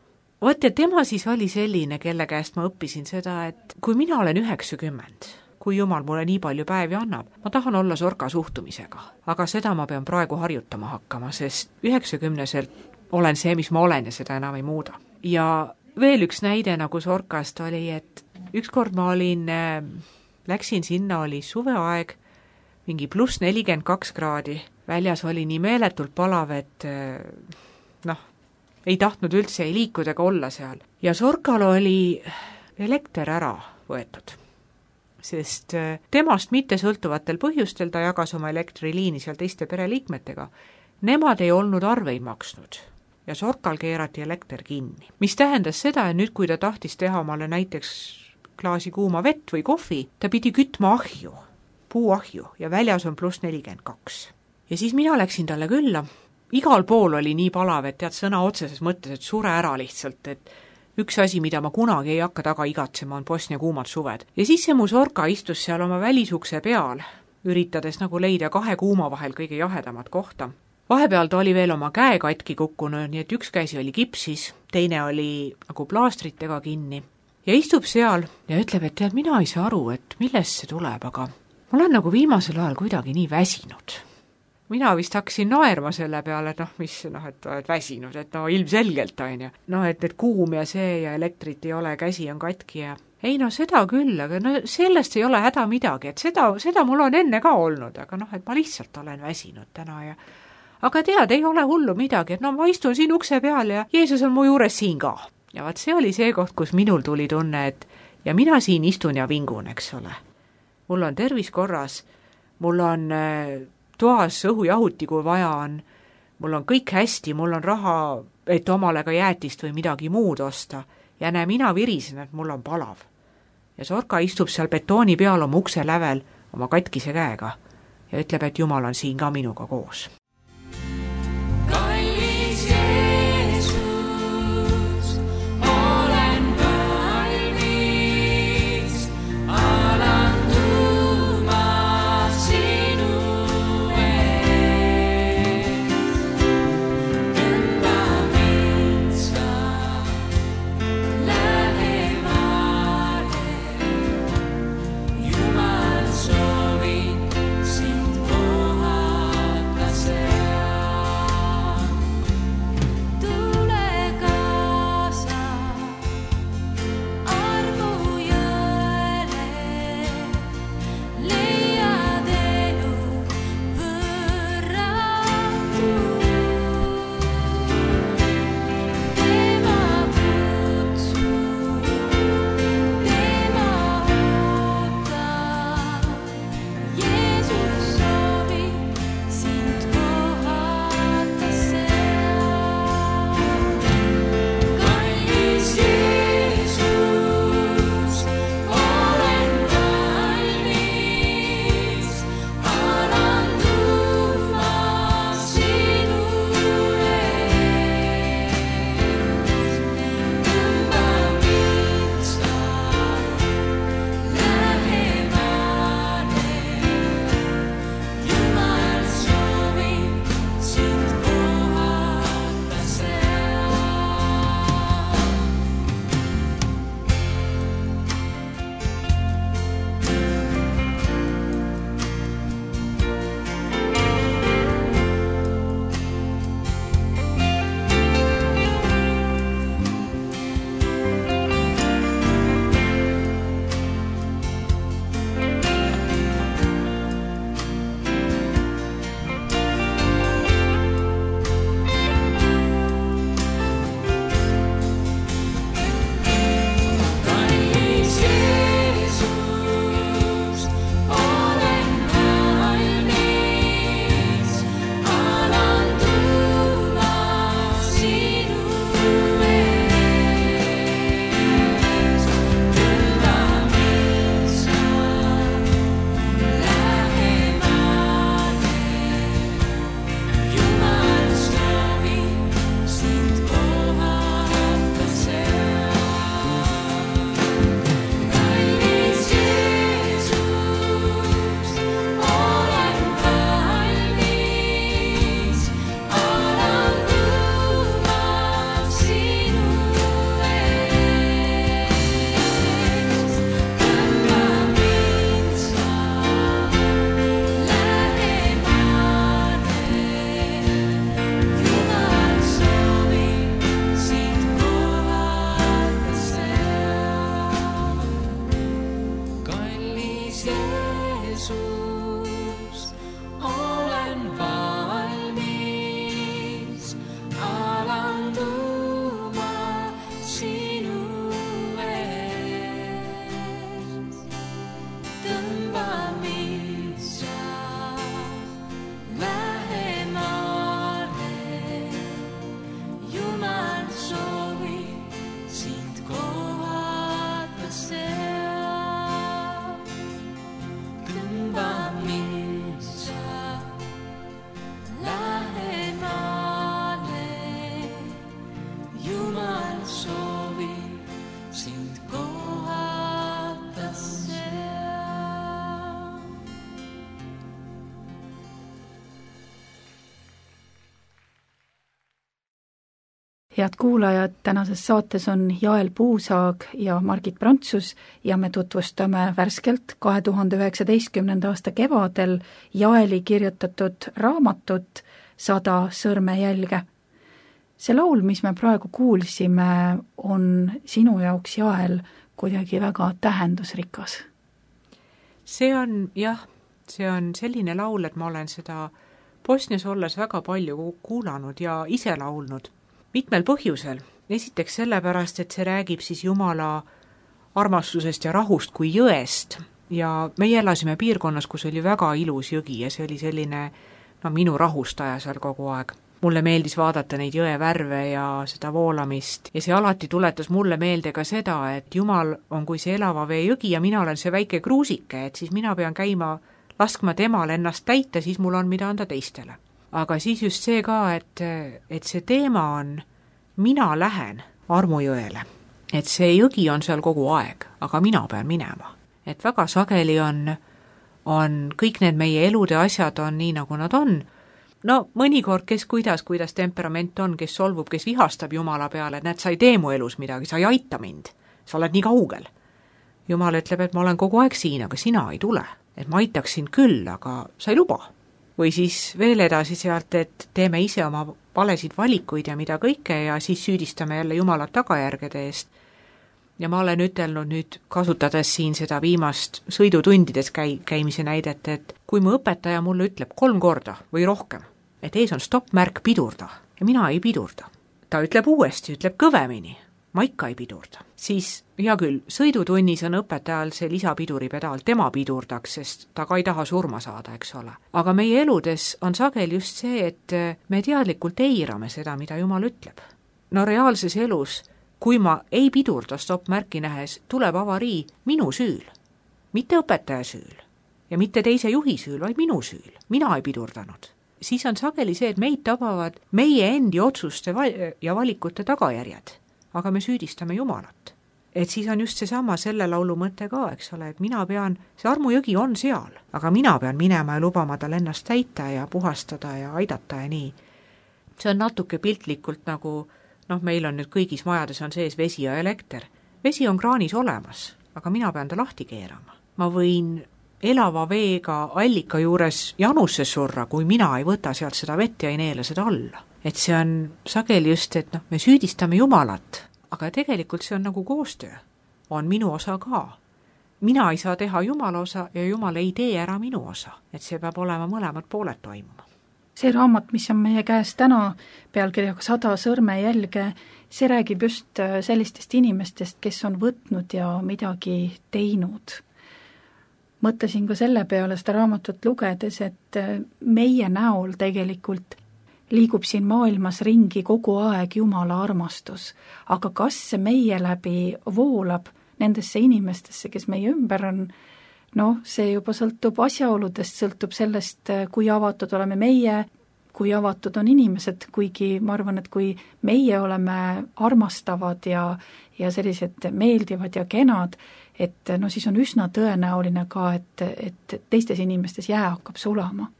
Vaat ja tema siis oli selline, kelle käest ma õppisin seda, et kui mina olen üheksakümmend, kui jumal mulle nii palju päevi annab, ma tahan olla Sorka suhtumisega, aga seda ma pean praegu harjutama hakkama, sest üheksakümneselt olen see, mis ma olen ja seda enam ei muuda. Ja veel üks näide nagu Sorkast oli, et ükskord ma olin, äh, läksin sinna, oli suveaeg, mingi pluss nelikümmend kaks kraadi, väljas oli nii meeletult palav, et äh, noh, ei tahtnud üldse ei liikuda ega olla seal. Ja Sorkal oli elekter ära võetud, sest äh, temast mitte sõltuvatel põhjustel ta jagas oma elektriliini seal teiste pereliikmetega. Nemad ei olnud arveid maksnud. Ja Sorkal keerati elekter kinni. Mis tähendas seda, et nüüd kui ta tahtis teha omale näiteks klaasi kuuma vett või kohvi, ta pidi kütma ahju, puuahju ja väljas on pluss nelikümmend kaks. Ja siis mina läksin talle külla. Igal pool oli nii palav, et tead sõna otseses mõttes, et sure ära lihtsalt, et üks asi, mida ma kunagi ei hakka taga igatsema, on Bosnia kuumad suved. Ja siis see mu Sorka istus seal oma välisukse peal, üritades nagu leida kahe kuuma vahel kõige jahedamat kohta. Vahepeal ta oli veel oma käe katki kukkunud, nii et üks käsi oli kipsis, teine oli nagu plaastritega kinni. Ja istub seal ja ütleb, et tead, mina ei saa aru, et millest see tuleb, aga ma olen nagu viimasel ajal kuidagi nii väsinud. Mina vist hakkasin naerma selle peale, et noh, mis, noh, et oled väsinud, et no ilmselgelt on ju. Noh, et, et kuum ja see ja elektrit ei ole, käsi on katki ja ei no seda küll, aga no sellest ei ole häda midagi, et seda, seda mul on enne ka olnud, aga noh, et ma lihtsalt olen väsinud täna ja aga tead, ei ole hullu midagi, et no ma istun siin ukse peal ja Jeesus on mu juures siin ka. Ja vaat see oli see koht, kus minul tuli tunne, et ja mina siin istun ja vingun, eks ole. Mul on tervis korras, mul on toas õhujahuti, kui vaja on, mul on kõik hästi, mul on raha, et omale ka jäätist või midagi muud osta. Ja näe, mina virisen, et mul on palav. Ja Sorka istub seal betooni peal oma ukse lävel oma katkise käega ja ütleb, et Jumal on siin ka minuga koos. Jumal soovin sind kohata see. head kuulajad, tänases saates on Jael Puusaag ja Margit Prantsus ja me tutvustame värskelt kahe tuhande üheksateistkümnenda aasta kevadel Jaeli kirjutatud raamatut Sada sõrmejälge. See laul, mis me praegu kuulsime, on sinu jaoks, Jael, kuidagi väga tähendusrikas. See on, jah, see on selline laul, et ma olen seda Bosnias olles väga palju kuulanud ja ise laulnud. Mitmel põhjusel. Esiteks sellepärast, et see räägib siis Jumala armastusest ja rahust kui jõest. Ja meie elasime piirkonnas, kus oli väga ilus jõgi ja see oli selline no, minu rahustaja seal kogu aeg. Mulle meeldis vaadata neid jõe värve ja seda voolamist ja see alati tuletas mulle meelde ka seda, et Jumal on kui see elava vee jõgi ja mina olen see väike kruusike, et siis mina pean käima laskma temal ennast täita, siis mul on mida anda teistele. Aga siis just see ka, et, et see teema on, mina lähen armujõele. Et see jõgi on seal kogu aeg, aga mina pean minema. Et väga sageli on, on kõik need meie elude asjad on nii, nagu nad on. No mõnikord, kes kuidas, kuidas temperament on, kes solvub, kes vihastab Jumala peale, et näed, sa ei tee mu elus midagi, sa ei aita mind, sa oled nii kaugel. Jumal ütleb, et ma olen kogu aeg siin, aga sina ei tule. Et ma aitaksin küll, aga sa ei luba. Või siis veel edasi sealt, et teeme ise oma valesid valikuid ja mida kõike ja siis süüdistame jälle Jumalat tagajärgede eest. Ja ma olen ütelnud nüüd, kasutades siin seda viimast sõidutundides käi, käimise näidet, et kui mu õpetaja mulle ütleb kolm korda või rohkem, et ees on stopp-märk pidurda ja mina ei pidurda. Ta ütleb uuesti, ütleb kõvemini. Ma ikka ei pidurda. Siis, hea küll, sõidutunnis on õpetajal see lisapiduripedaal, tema pidurdaks, sest ta ka ei taha surma saada, eks ole. Aga meie eludes on sagel just see, et me teadlikult eirame seda, mida Jumal ütleb. No reaalses elus, kui ma ei pidurda stopp-märki nähes, tuleb avarii minu süül. Mitte õpetaja süül ja mitte teise juhi süül, vaid minu süül. Mina ei pidurdanud. Siis on sageli see, et meid tabavad meie endi otsuste ja valikute tagajärjed. Aga me süüdistame Jumalat. Et siis on just seesama selle laulu mõte ka, eks ole, et mina pean, see armujõgi on seal, aga mina pean minema ja lubama tal ennast täita ja puhastada ja aidata ja nii. See on natuke piltlikult nagu, noh, meil on nüüd kõigis majades on sees vesi ja elekter. Vesi on kraanis olemas, aga mina pean ta lahti keerama. Ma võin elava veega allika juures janusse surra, kui mina ei võta sealt seda vett ja ei neele seda alla. Et see on sageli just, et noh, me süüdistame Jumalat, aga tegelikult see on nagu koostöö. On minu osa ka. Mina ei saa teha Jumala osa ja Jumal ei tee ära minu osa. Et see peab olema mõlemad pooled toimuma. See raamat, mis on meie käes täna pealkirjaga Sada sõrmejälge, see räägib just sellistest inimestest, kes on võtnud ja midagi teinud. Mõtlesin ka selle peale seda raamatut lugedes, et meie näol tegelikult liigub siin maailmas ringi kogu aeg Jumala armastus, aga kas see meie läbi voolab nendesse inimestesse, kes meie ümber on, noh, see juba sõltub asjaoludest, sõltub sellest, kui avatud oleme meie, kui avatud on inimesed, kuigi ma arvan, et kui meie oleme armastavad ja, ja sellised meeldivad ja kenad, et no siis on üsna tõenäoline ka, et, et teistes inimestes jää hakkab sulama.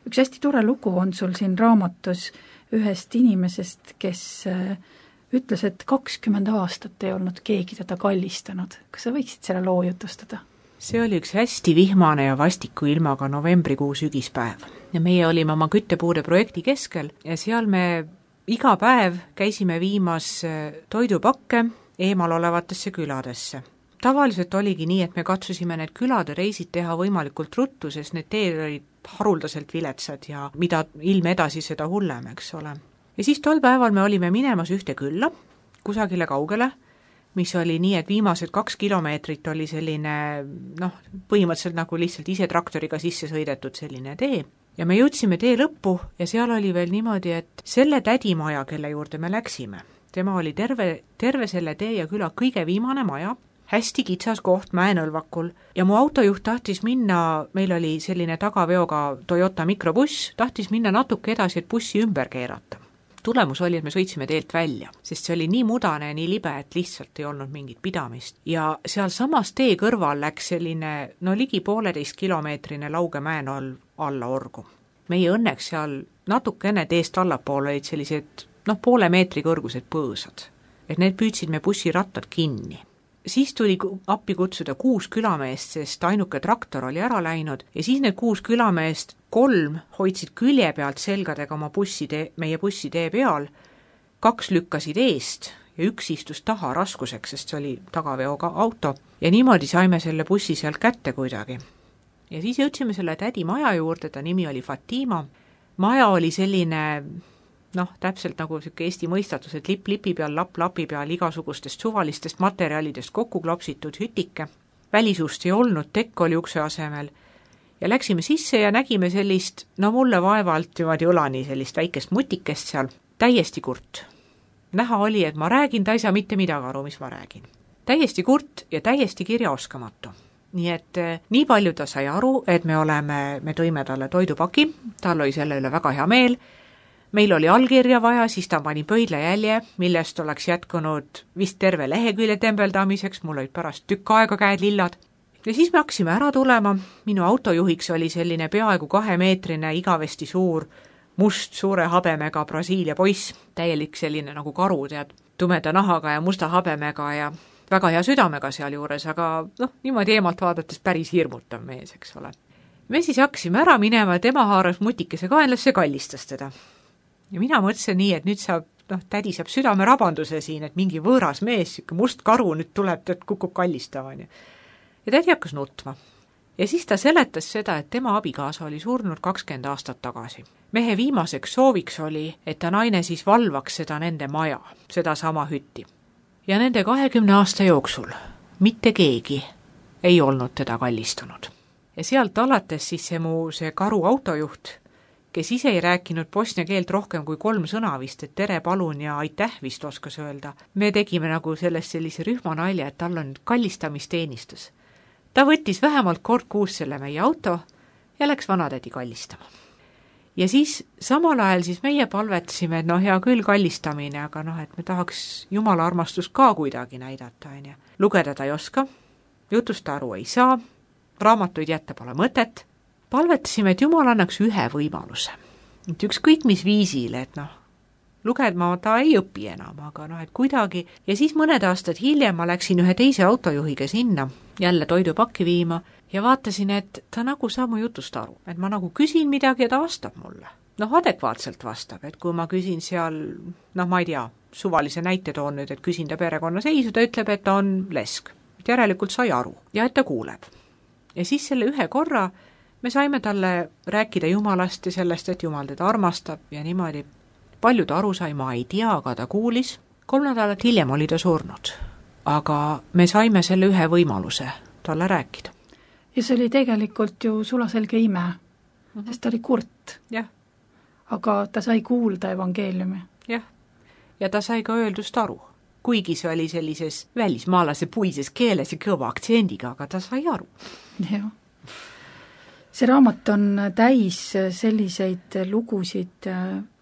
Üks hästi tore lugu on sul siin raamatus ühest inimesest, kes ütles, et kakskümmend aastat ei olnud keegi teda kallistanud. Kas sa võiksid selle loo jutustada? See oli üks hästi vihmane ja vastiku ilmaga novembrikuu sügispäev. Ja meie olime oma küttepuude projekti keskel ja seal me iga päev käisime viimas toidupakke eemal olevatesse küladesse. Tavaliselt oligi nii, et me katsusime need külade reisid teha võimalikult ruttu, sest need teed olid haruldaselt viletsad ja mida ilm edasi seda hullem, eks ole. Ja siis tol päeval me olime minemas ühte külla, kusagile kaugele, mis oli nii, et viimased kaks kilomeetrit oli selline, noh, põhimõtteliselt nagu lihtsalt ise traktoriga sisse sõidetud selline tee. Ja me jõudsime tee lõppu ja seal oli veel niimoodi, et selle tädimaja, kelle juurde me läksime, tema oli terve, terve selle tee ja küla kõige viimane maja, hästi kitsas koht mäenõlvakul ja mu autojuht tahtis minna, meil oli selline tagaveoga Toyota mikrobuss, tahtis minna natuke edasi, et bussi ümber keerata. Tulemus oli, et me sõitsime teelt välja, sest see oli nii mudane ja nii libe, et lihtsalt ei olnud mingit pidamist. Ja seal samas tee kõrval läks selline, no ligi pooleteist kilomeetrine lauge mäenolv alla orgu. Meie õnneks seal natuke enne teest allapool olid sellised noh, poole meetri kõrgused põõsad. Et need püüdsid me bussirattad kinni. Siis tuli appi kutsuda kuus külameest, sest ainuke traktor oli ära läinud ja siis need kuus külameest, kolm hoidsid külje pealt selgadega oma bussitee, meie bussitee peal, kaks lükkasid eest ja üks istus taha raskuseks, sest see oli tagaveoga auto ja niimoodi saime selle bussi sealt kätte kuidagi. Ja siis jõudsime selle tädi maja juurde, ta nimi oli Fatima. Maja oli selline, noh, täpselt nagu siuke Eesti mõistatus, et lipp lipi peal, lapp lapi peal, igasugustest suvalistest materjalidest kokku klopsitud hütike. Välisust ei olnud, tekk oli ukse asemel. Ja läksime sisse ja nägime sellist, no mulle vaevalt niimoodi õlani sellist väikest mutikest seal, täiesti kurt. Näha oli, et ma räägin, ta ei saa mitte midagi aru, mis ma räägin. Täiesti kurt ja täiesti kirjaoskamatu. Nii et nii palju ta sai aru, et me oleme, me tõime talle toidupaki, tal oli selle üle väga hea meel. Meil oli allkirja vaja, siis ta pani pöidla jälje, millest oleks jätkunud vist terve lehekülje tembeldamiseks, mul olid pärast tükk aega käed lillad. Ja siis me hakkasime ära tulema, minu autojuhiks oli selline peaaegu kahemeetrine, igavesti suur, must suure habemega Brasiilia poiss, täielik selline nagu karu, tead, tumeda nahaga ja musta habemega ja väga hea südamega seal juures, aga noh, niimoodi eemalt vaadates päris hirmutav mees, eks ole. Me siis hakkasime ära minema, tema haaras mutikese kaenlasse, kallistas teda. Ja mina mõtlesin nii, et nüüd saab, noh, tädi saab südame rabanduse siin, et mingi võõras mees, siuke must karu nüüd tuleb, et kukub kallistama. Ja tädi hakkas nutma. Ja siis ta seletas seda, et tema abikaasa oli surnud kakskümmend aastat tagasi. Mehe viimaseks sooviks oli, et ta naine siis valvaks seda nende maja, seda sama hütti. Ja nende kahekümne aasta jooksul mitte keegi ei olnud teda kallistunud. Ja sealt alates siis see mu see karu autojuht, kes ise ei rääkinud bosnia keelt rohkem kui kolm sõna vist, et tere, palun ja aitäh vist oskas öelda. Me tegime nagu sellest sellise rühmanalja, et tal on kallistamisteenistus. Ta võttis vähemalt kord kuus selle meie auto ja läks vanatädi kallistama. Ja siis samal ajal siis meie palvetasime, et noh, hea küll kallistamine, aga noh, et me tahaks Jumala armastust ka kuidagi näidata. Ja lugeda ta ei oska, jutust aru ei saa, raamatuid jätta pole mõtet. Palvetasime, et Jumal annaks ühe võimaluse. Et ükskõik mis viisil, et noh, lugedma ta ei õpi enam, aga noh, et kuidagi. Ja siis mõned aastad hiljem ma läksin ühe teise autojuhiga sinna, jälle toidupakki viima, ja vaatasin, et ta nagu saab mu jutust aru, et ma nagu küsin midagi ja ta vastab mulle. Noh, adekvaatselt vastab, et kui ma küsin seal, noh, ma ei tea, suvalise näite toon nüüd, et küsin ta perekonna seisu, ta ütleb, et ta on lesk. Et järelikult sai aru ja et ta kuuleb. Ja siis selle ühe korra me saime talle rääkida Jumalast ja sellest, et Jumal teda armastab ja niimoodi. Palju ta aru sai, ma ei tea, aga ta kuulis. Kolm nädalat hiljem oli ta surnud, aga me saime selle ühe võimaluse talle rääkida. Ja see oli tegelikult ju sulaselge ime, mm-hmm. sest ta oli kurt. Jah. Aga ta sai kuulda evangeeliumi. Jah, ja ta sai ka öeldust aru. Kuigi see oli sellises välismaalase puises keeles ja kõva aktsendiga, aga ta sai aru. Jah. See raamat on täis selliseid lugusid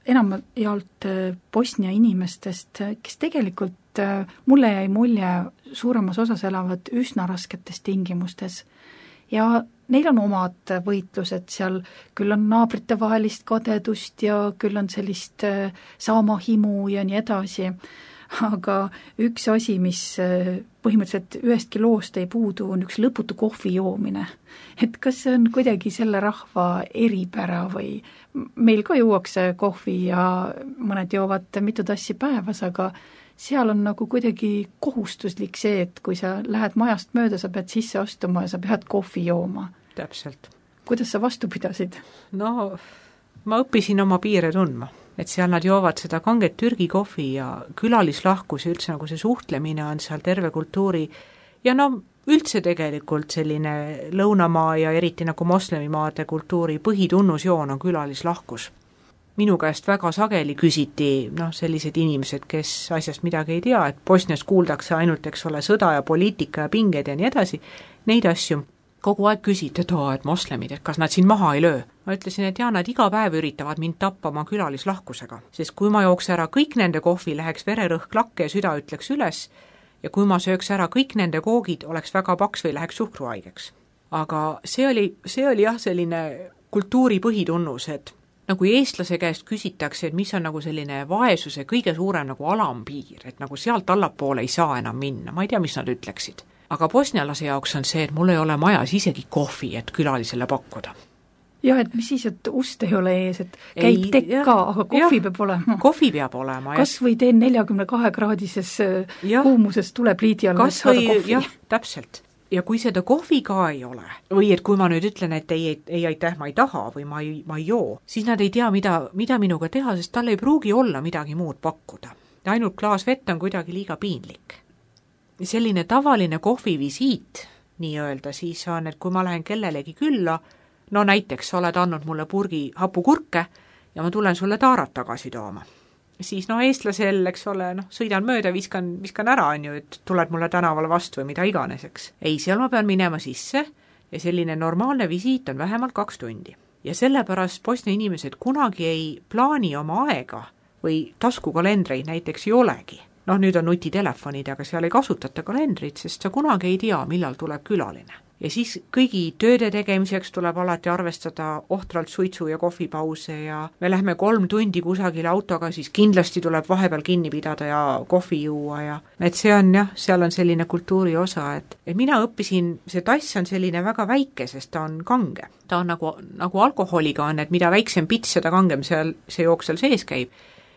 enamjaolt Bosnia inimestest, kes tegelikult mulle jäi mulje suuremas osas elavad üsna rasketes tingimustes. Ja neil on omad võitlused seal, küll on naabrite vahelist kadedust ja küll on sellist saamahimu ja nii edasi. Aga üks asi, mis põhimõtteliselt ühestki loost ei puudu, on üks lõputu kohvi joomine. Et kas see on kuidagi selle rahva eripära või meil ka juuakse kohvi ja mõned joovad mitu tassi päevas, aga seal on nagu kuidagi kohustuslik see, et kui sa lähed majast mööda, sa pead sisse astuma ja sa pead kohvi jooma. Täpselt. Kuidas sa vastu pidasid? No, ma õppisin oma piire tundma, et seal nad joovad seda kanget Türgi kohvi ja külalislahkus ja üldse nagu see suhtlemine on seal terve kultuuri ja no üldse tegelikult selline lõunamaa ja eriti nagu moslemimaade kultuuri põhitunnusjoon on külalislahkus. Minu käest väga sageli küsiti noh, sellised inimesed, kes asjast midagi ei tea, et Bosnias kuuldakse ainult, eks ole, sõda ja poliitika ja pinged ja nii edasi, neid asju kogu aeg küsiti, et, oo, et moslemid, et kas nad siin maha ei löö. Ma ütlesin, et jaa, nad iga päev üritavad mind tappa oma külalislahkusega, sest kui ma jooks ära kõik nende kohvi, läheks vererõhk lakke ja süda ütleks üles ja kui ma sööks ära kõik nende koogid, oleks väga paks või läheks suhkruhaigeks. Aga see oli, see oli jah selline kultuuri põhitunnus, et nagu eestlase käest küsitakse, et mis on nagu selline vaesuse kõige suurem nagu alampiir, et nagu sealt allapoole ei saa enam minna, ma ei tea, mis nad ütleksid. Aga bosnialase jaoks on see, et mul ei ole majas isegi kohvi, et külalisele pakkuda. jah, et mis siis, et ust ei ole ees, et käib ei, tekk ka, aga kohvi jah, peab olema. kohvi peab olema. Kas või teen neljakümne kahe kraadises ja. kuumuses tulepliidi all, et saada kohvi. Jah, täpselt. Ja kui seda kohvi ka ei ole, või et kui ma nüüd ütlen, et ei, ei, ei aitäh, ma ei taha või ma ei, ma ei joo, siis nad ei tea, mida, mida minuga teha, sest tal ei pruugi olla midagi muud pakkuda. Ainult klaas vett on kuidagi liiga piinlik. Selline tavaline kohvivisiit, nii öelda, siis on, et kui ma lähen kellelegi külla, no näiteks sa oled andnud mulle purgi hapukurke ja ma tulen sulle taarat tagasi tooma. Siis no eestlasel, eks ole, noh, sõidan mööda, viskan, viskan ära, on ju, et tuled mulle tänavale vastu või mida iganes, eks. Ei, seal ma pean minema sisse ja selline normaalne visiit on vähemalt kaks tundi. Ja sellepärast Bosnia inimesed kunagi ei plaani oma aega või taskukalendreid näiteks ei olegi. Noh, nüüd on nutitelefonid, aga seal ei kasutata kalendrit, sest sa kunagi ei tea, millal tuleb külaline. Ja siis kõigi tööde tegemiseks tuleb alati arvestada ohtralt suitsu ja kohvipause ja me lähme kolm tundi kusagile autoga, siis kindlasti tuleb vahepeal kinni pidada ja kohvi juua ja et see on jah, seal on selline kultuuri osa, et, et mina õppisin, see tass on selline väga väike, sest ta on kange. Ta on nagu, nagu alkoholiga on, et mida väiksem pits, seda kangem seal, see jook seal sees käib.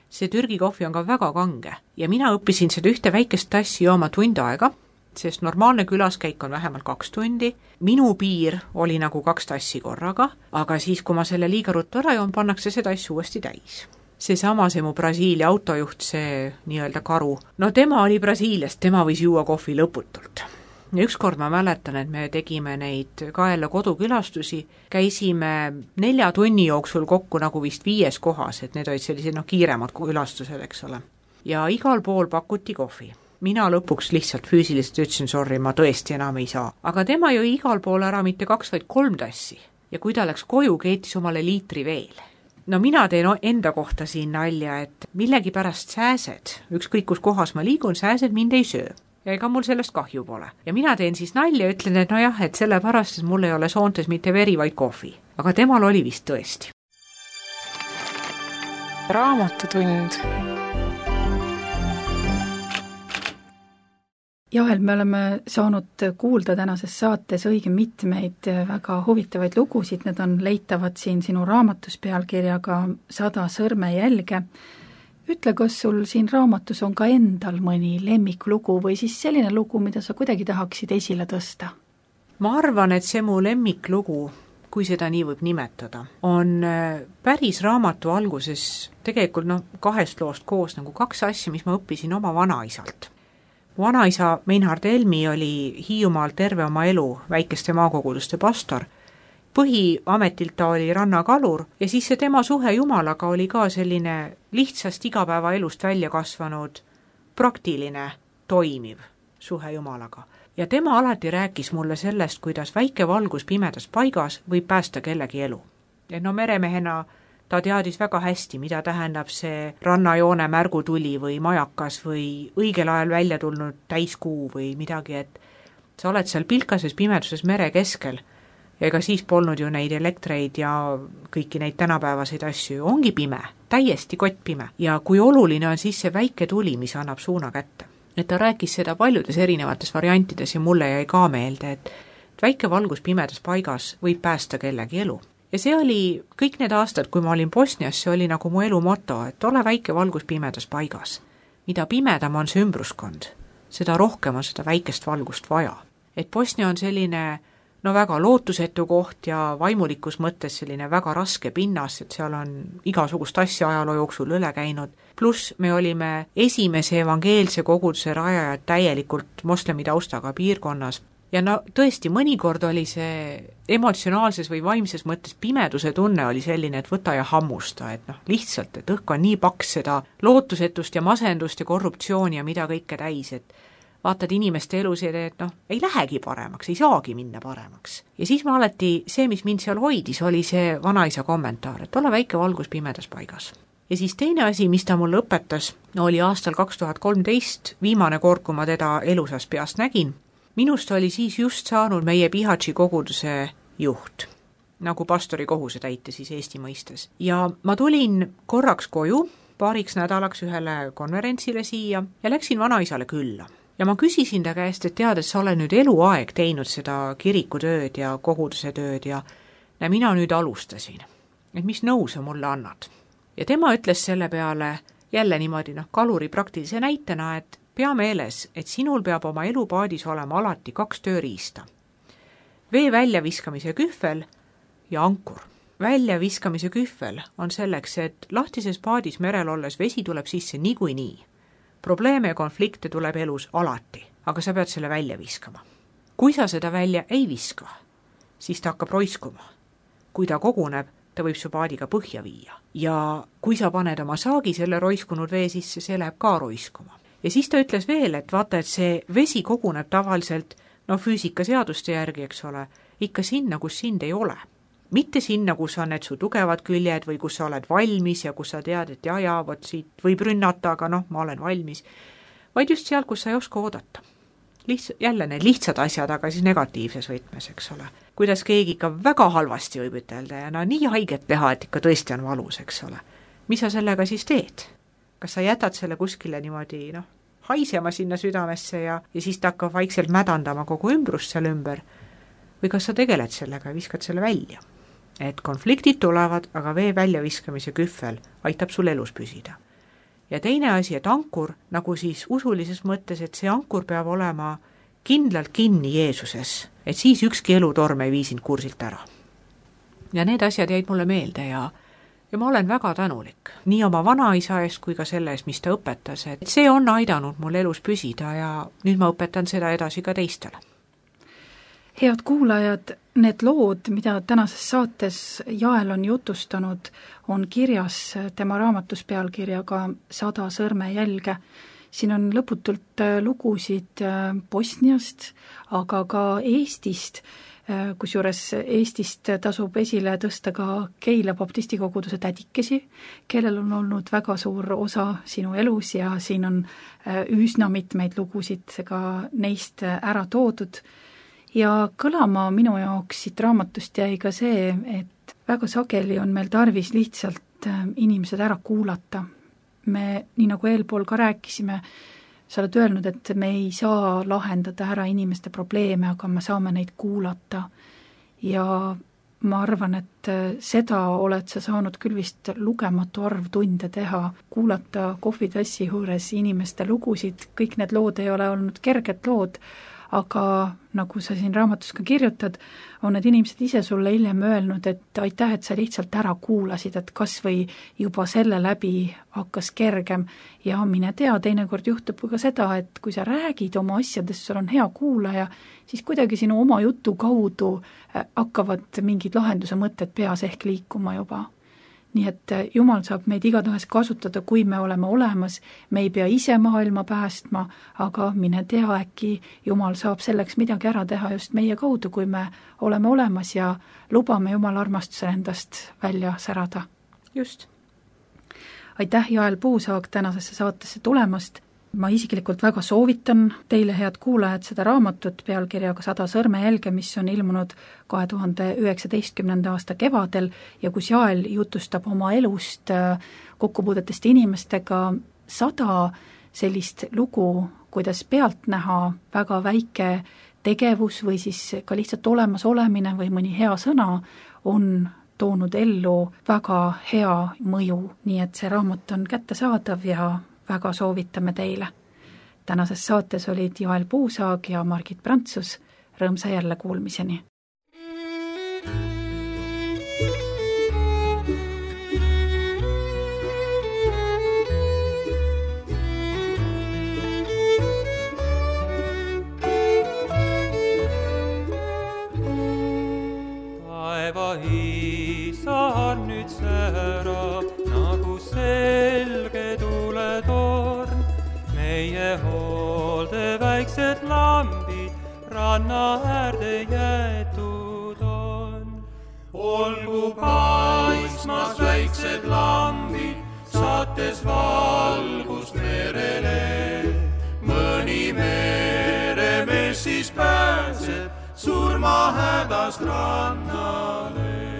See Türgi kohvi on ka väga kange ja mina õppisin seda ühte väikest tassi jooma tund aega, sest normaalne külaskäik on vähemalt kaks tundi. Minu piir oli nagu kaks tassi korraga, aga siis, kui ma selle liiga ruttu ära joon, pannakse see tass uuesti täis. Seesama see mu Brasiilia autojuht, see nii-öelda karu, no tema oli Brasiiliast, tema võis juua kohvi lõputult. Ja ükskord ma mäletan, et me tegime neid Kaela kodukülastusi, käisime nelja tunni jooksul kokku nagu vist viies kohas, et need olid sellised no, kiiremad külastused, eks ole. Ja igal pool pakuti kohvi. Mina lõpuks lihtsalt füüsiliselt ütlesin, sorry, ma tõesti enam ei saa. Aga tema jõi igal pool ära mitte kaks, vaid kolm tassi. Ja kui ta läks koju, keetis omale liitri veel. No mina teen enda kohta siin nalja, et millegi pärast sääsed, ükskõik kus kohas ma liigun, sääsed mind ei söö. Ja ega mul sellest kahju pole. Ja mina teen siis nalja ja ütlen, et no jah, et sellepärast, et mul ei ole soontes mitte veri, vaid kohvi. Aga temal oli vist tõesti. Raamatutund. Jael, me oleme saanud kuulda tänases saates õige mitmeid väga huvitavaid lugusid, need on leitavad siin sinu raamatus pealkirjaga Sada sõrmejälge. Ütle, kas sul siin raamatus on ka endal mõni lemmiklugu või siis selline lugu, mida sa kuidagi tahaksid esile tõsta? Ma arvan, et see mu lemmiklugu, kui seda nii võib nimetada, on päris raamatu alguses tegelikult no, kahest loost koos nagu kaks asja, mis ma õppisin oma vanaisalt. Vanaisa Meinhard Helmi oli Hiiumaal terve oma elu väikeste maakoguduste pastor. Põhiametilt ta oli rannakalur ja siis see tema suhe Jumalaga oli ka selline lihtsast igapäeva elust välja kasvanud praktiline, toimiv suhe Jumalaga. Ja tema alati rääkis mulle sellest, kuidas väike valgus pimedas paigas võib päästa kellegi elu. Ja no meremehena ta teadis väga hästi, mida tähendab see rannajoone märgutuli või majakas või õigel ajal välja tulnud täiskuu või midagi, et sa oled seal pilkases pimeduses mere keskel. Ja ega siis polnud ju neid elektreid ja kõiki neid tänapäevaseid asju, ongi pime, täiesti kott pime. Ja kui oluline on siis see väike tuli, mis annab suuna kätte. Et ta rääkis seda paljudes erinevates variantides ja mulle jäi ka meelde, et väike valgus pimedas paigas võib päästa kellegi elu. Ja see oli kõik need aastad, kui ma olin Bosnias, see oli nagu mu elu moto, et ole väike valgus pimedas paigas. Mida pimedam on see ümbruskond, seda rohkem on seda väikest valgust vaja. Et Bosnia on selline no väga lootusetu koht ja vaimulikus mõttes selline väga raske pinnas, et seal on igasugust asja ajaloo jooksul üle käinud. Pluss me olime esimese evangeelse koguduse rajajad täielikult moslemi taustaga piirkonnas. Ja no tõesti, mõnikord oli see emotsionaalses või vaimses mõttes pimeduse tunne oli selline, et võta ja hammusta, et noh, lihtsalt, et õhk on nii paks seda lootusetust ja masendust ja korruptsiooni ja mida kõike täis, et vaatad inimeste elus ja et noh, ei lähegi paremaks, ei saagi minna paremaks. Ja siis ma alati, see, mis mind seal hoidis, oli see vanaisa kommentaar, et ole väike valgus pimedas paigas. Ja siis teine asi, mis ta mulle õpetas, oli aastal kaks tuhat kolmteist, viimane kord, kui ma teda elusas peast nägin. Minust oli siis just saanud meie Pihatši koguduse juht. nagu pastori kohusetäitja siis Eesti mõistes. Ja ma tulin korraks koju, paariks nädalaks ühele konverentsile siia ja läksin vanaisale külla. Ja ma küsisin ta käest, et tead, et sa oled nüüd eluaeg teinud seda kirikutööd ja koguduse tööd ja, ja mina nüüd alustasin, et mis nõu sa mulle annad. Ja tema ütles selle peale jälle niimoodi noh, kaluri praktilise näitena, et pea meeles, et sinul peab oma elupaadis olema alati kaks tööriista. Vee väljaviskamise kühvel ja ankur. Väljaviskamise kühvel on selleks, et lahtises paadis merel olles vesi tuleb sisse niikuinii. Probleeme ja konflikte tuleb elus alati, aga sa pead selle välja viskama. Kui sa seda välja ei viska, siis ta hakkab roiskuma. Kui ta koguneb, ta võib su paadiga põhja viia. Ja kui sa paned oma saagi selle roiskunud vee sisse, see läheb ka roiskuma. Ja siis ta ütles veel, et vaata, et see vesi koguneb tavaliselt, no füüsikaseaduste järgi, eks ole, ikka sinna, kus sind ei ole. Mitte sinna, kus on need su tugevad küljed või kus sa oled valmis ja kus sa tead, et ja, ja, vot siit võib rünnata, aga noh, ma olen valmis. Vaid just seal, kus sa ei oska oodata. Lihts, jälle need lihtsad asjad, aga siis negatiivses võtmes, eks ole. Kuidas keegi ikka väga halvasti võib ütelda ja no nii haiget teha, et ikka tõesti on valus, eks ole. Mis sa sellega siis teed? Kas sa jätad selle kuskile niimoodi, noh, haisema sinna südamesse ja, ja siis ta hakkab vaikselt mädandama kogu ümbrust seal ümber? Või kas sa tegeled sellega ja viskad selle välja? Et konfliktid tulevad, aga vee väljaviskamise kühvel aitab sul elus püsida. Ja teine asi, et ankur, nagu siis usulises mõttes, et see ankur peab olema kindlalt kinni Jeesuses, et siis ükski elutorm ei vii sind kursilt ära. Ja need asjad jäid mulle meelde ja, ja ma olen väga tänulik, nii oma vanaisa eest kui ka selle eest, mis ta õpetas, et see on aidanud mul elus püsida ja nüüd ma õpetan seda edasi ka teistele. Head kuulajad, need lood, mida tänases saates Jael on jutustanud, on kirjas tema raamatus pealkirjaga Sada sõrmejälge. Siin on lõputult lugusid Bosniast, aga ka Eestist, kusjuures Eestist tasub esile tõsta ka Keila baptistikoguduse tädikesi, kellel on olnud väga suur osa sinu elus ja siin on üsna mitmeid lugusid ka neist ära toodud. Ja kõlama minu jaoks siit raamatust jäi ka see, et väga sageli on meil tarvis lihtsalt inimesed ära kuulata. Me, nii nagu eelpool ka rääkisime, sa oled öelnud, et me ei saa lahendada ära inimeste probleeme, aga me saame neid kuulata. Ja ma arvan, et seda oled sa saanud küll vist lugematu arv tunde teha, kuulata kohvitassi juures inimeste lugusid, kõik need lood ei ole olnud kerged lood, aga nagu sa siin raamatus ka kirjutad, on need inimesed ise sulle hiljem öelnud, et aitäh, et sa lihtsalt ära kuulasid, et kas või juba selle läbi hakkas kergem ja mine tea, teinekord juhtub ka seda, et kui sa räägid oma asjadest, sul on hea kuulaja, siis kuidagi sinu oma jutu kaudu hakkavad mingid lahenduse mõtted peas ehk liikuma juba. Nii et Jumal saab meid igatahes kasutada, kui me oleme olemas, me ei pea ise maailma päästma, aga mine tea, äkki Jumal saab selleks midagi ära teha just meie kaudu, kui me oleme olemas ja lubame Jumal armastuse endast välja särada. Just. Aitäh, Jael Puusaag, tänasesse saatesse tulemast. Ma isiklikult väga soovitan teile, head kuulajad, seda raamatut pealkirjaga Sada sõrmejälge, mis on ilmunud kahe tuhande üheksateistkümnenda aasta kevadel ja kus Jael jutustab oma elust, kokkupuudetest inimestega sada sellist lugu, kuidas pealt näha väga väike tegevus või siis ka lihtsalt olemas olemine või mõni hea sõna on toonud ellu väga hea mõju, nii et see raamat on kättesaadav ja väga soovitame teile. Tänases saates olid Jael Puusaag ja Margit Prantsus. Rõõmsa jälle kuulmiseni. Taeva isa nüüd särab nagu selge tuletorn. Meie hoolde väiksed lambid ranna äärde jäetud on. Olgu paismas väiksed lambid, saates valgust merele. Mõni meremees siis pääseb surma hädast rannale.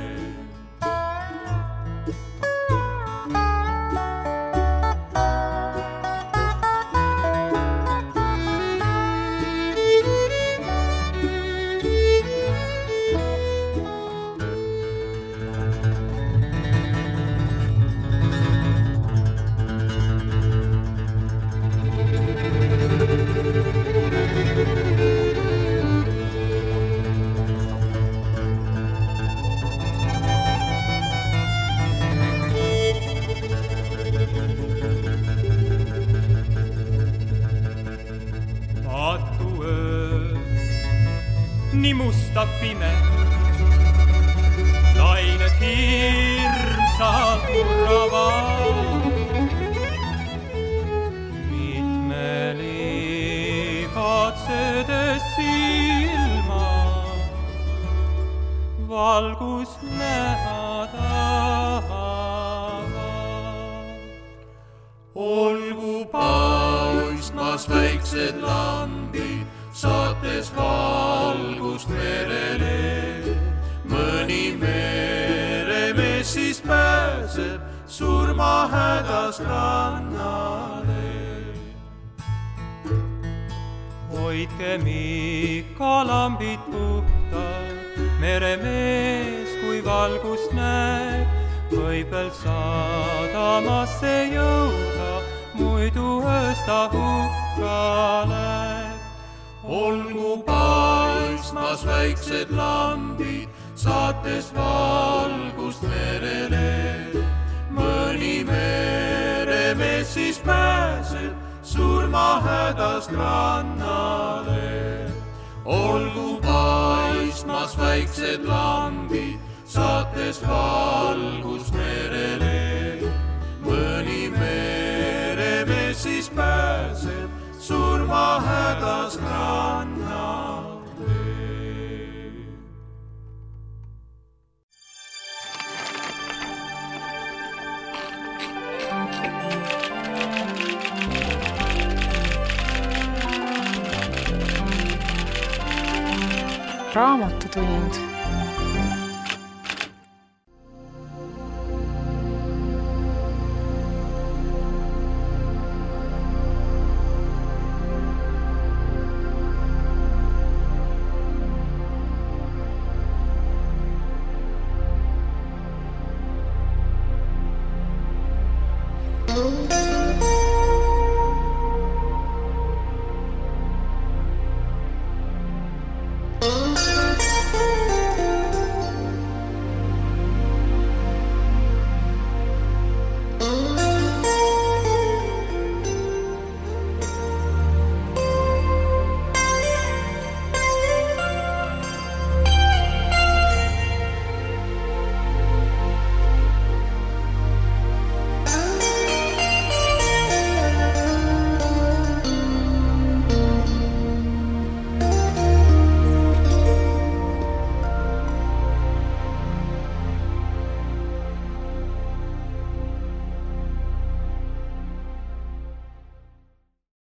nii musta pime. Lained hirmsalt murravad, mitmeli katsedes silma, valgust näha tahavad. Olgu paistmas väiksed lambid, saates valgust merele. Mõni meremees siis pääseb surma hädas rannale. Hoidkem ikka lambid puhtad, meremees kui valgust näeb, võib veel sadamasse jõuda, muidu öösta hukka läheb. Olgu paistmas väiksed lambid, saates valgust merele. Mõni meremees siis pääseb surma hädast rannale. Olgu paistmas väiksed lambid, saates valgust merele. Mõni meremees siis pääseb surma hädast rannale. Raamatutund.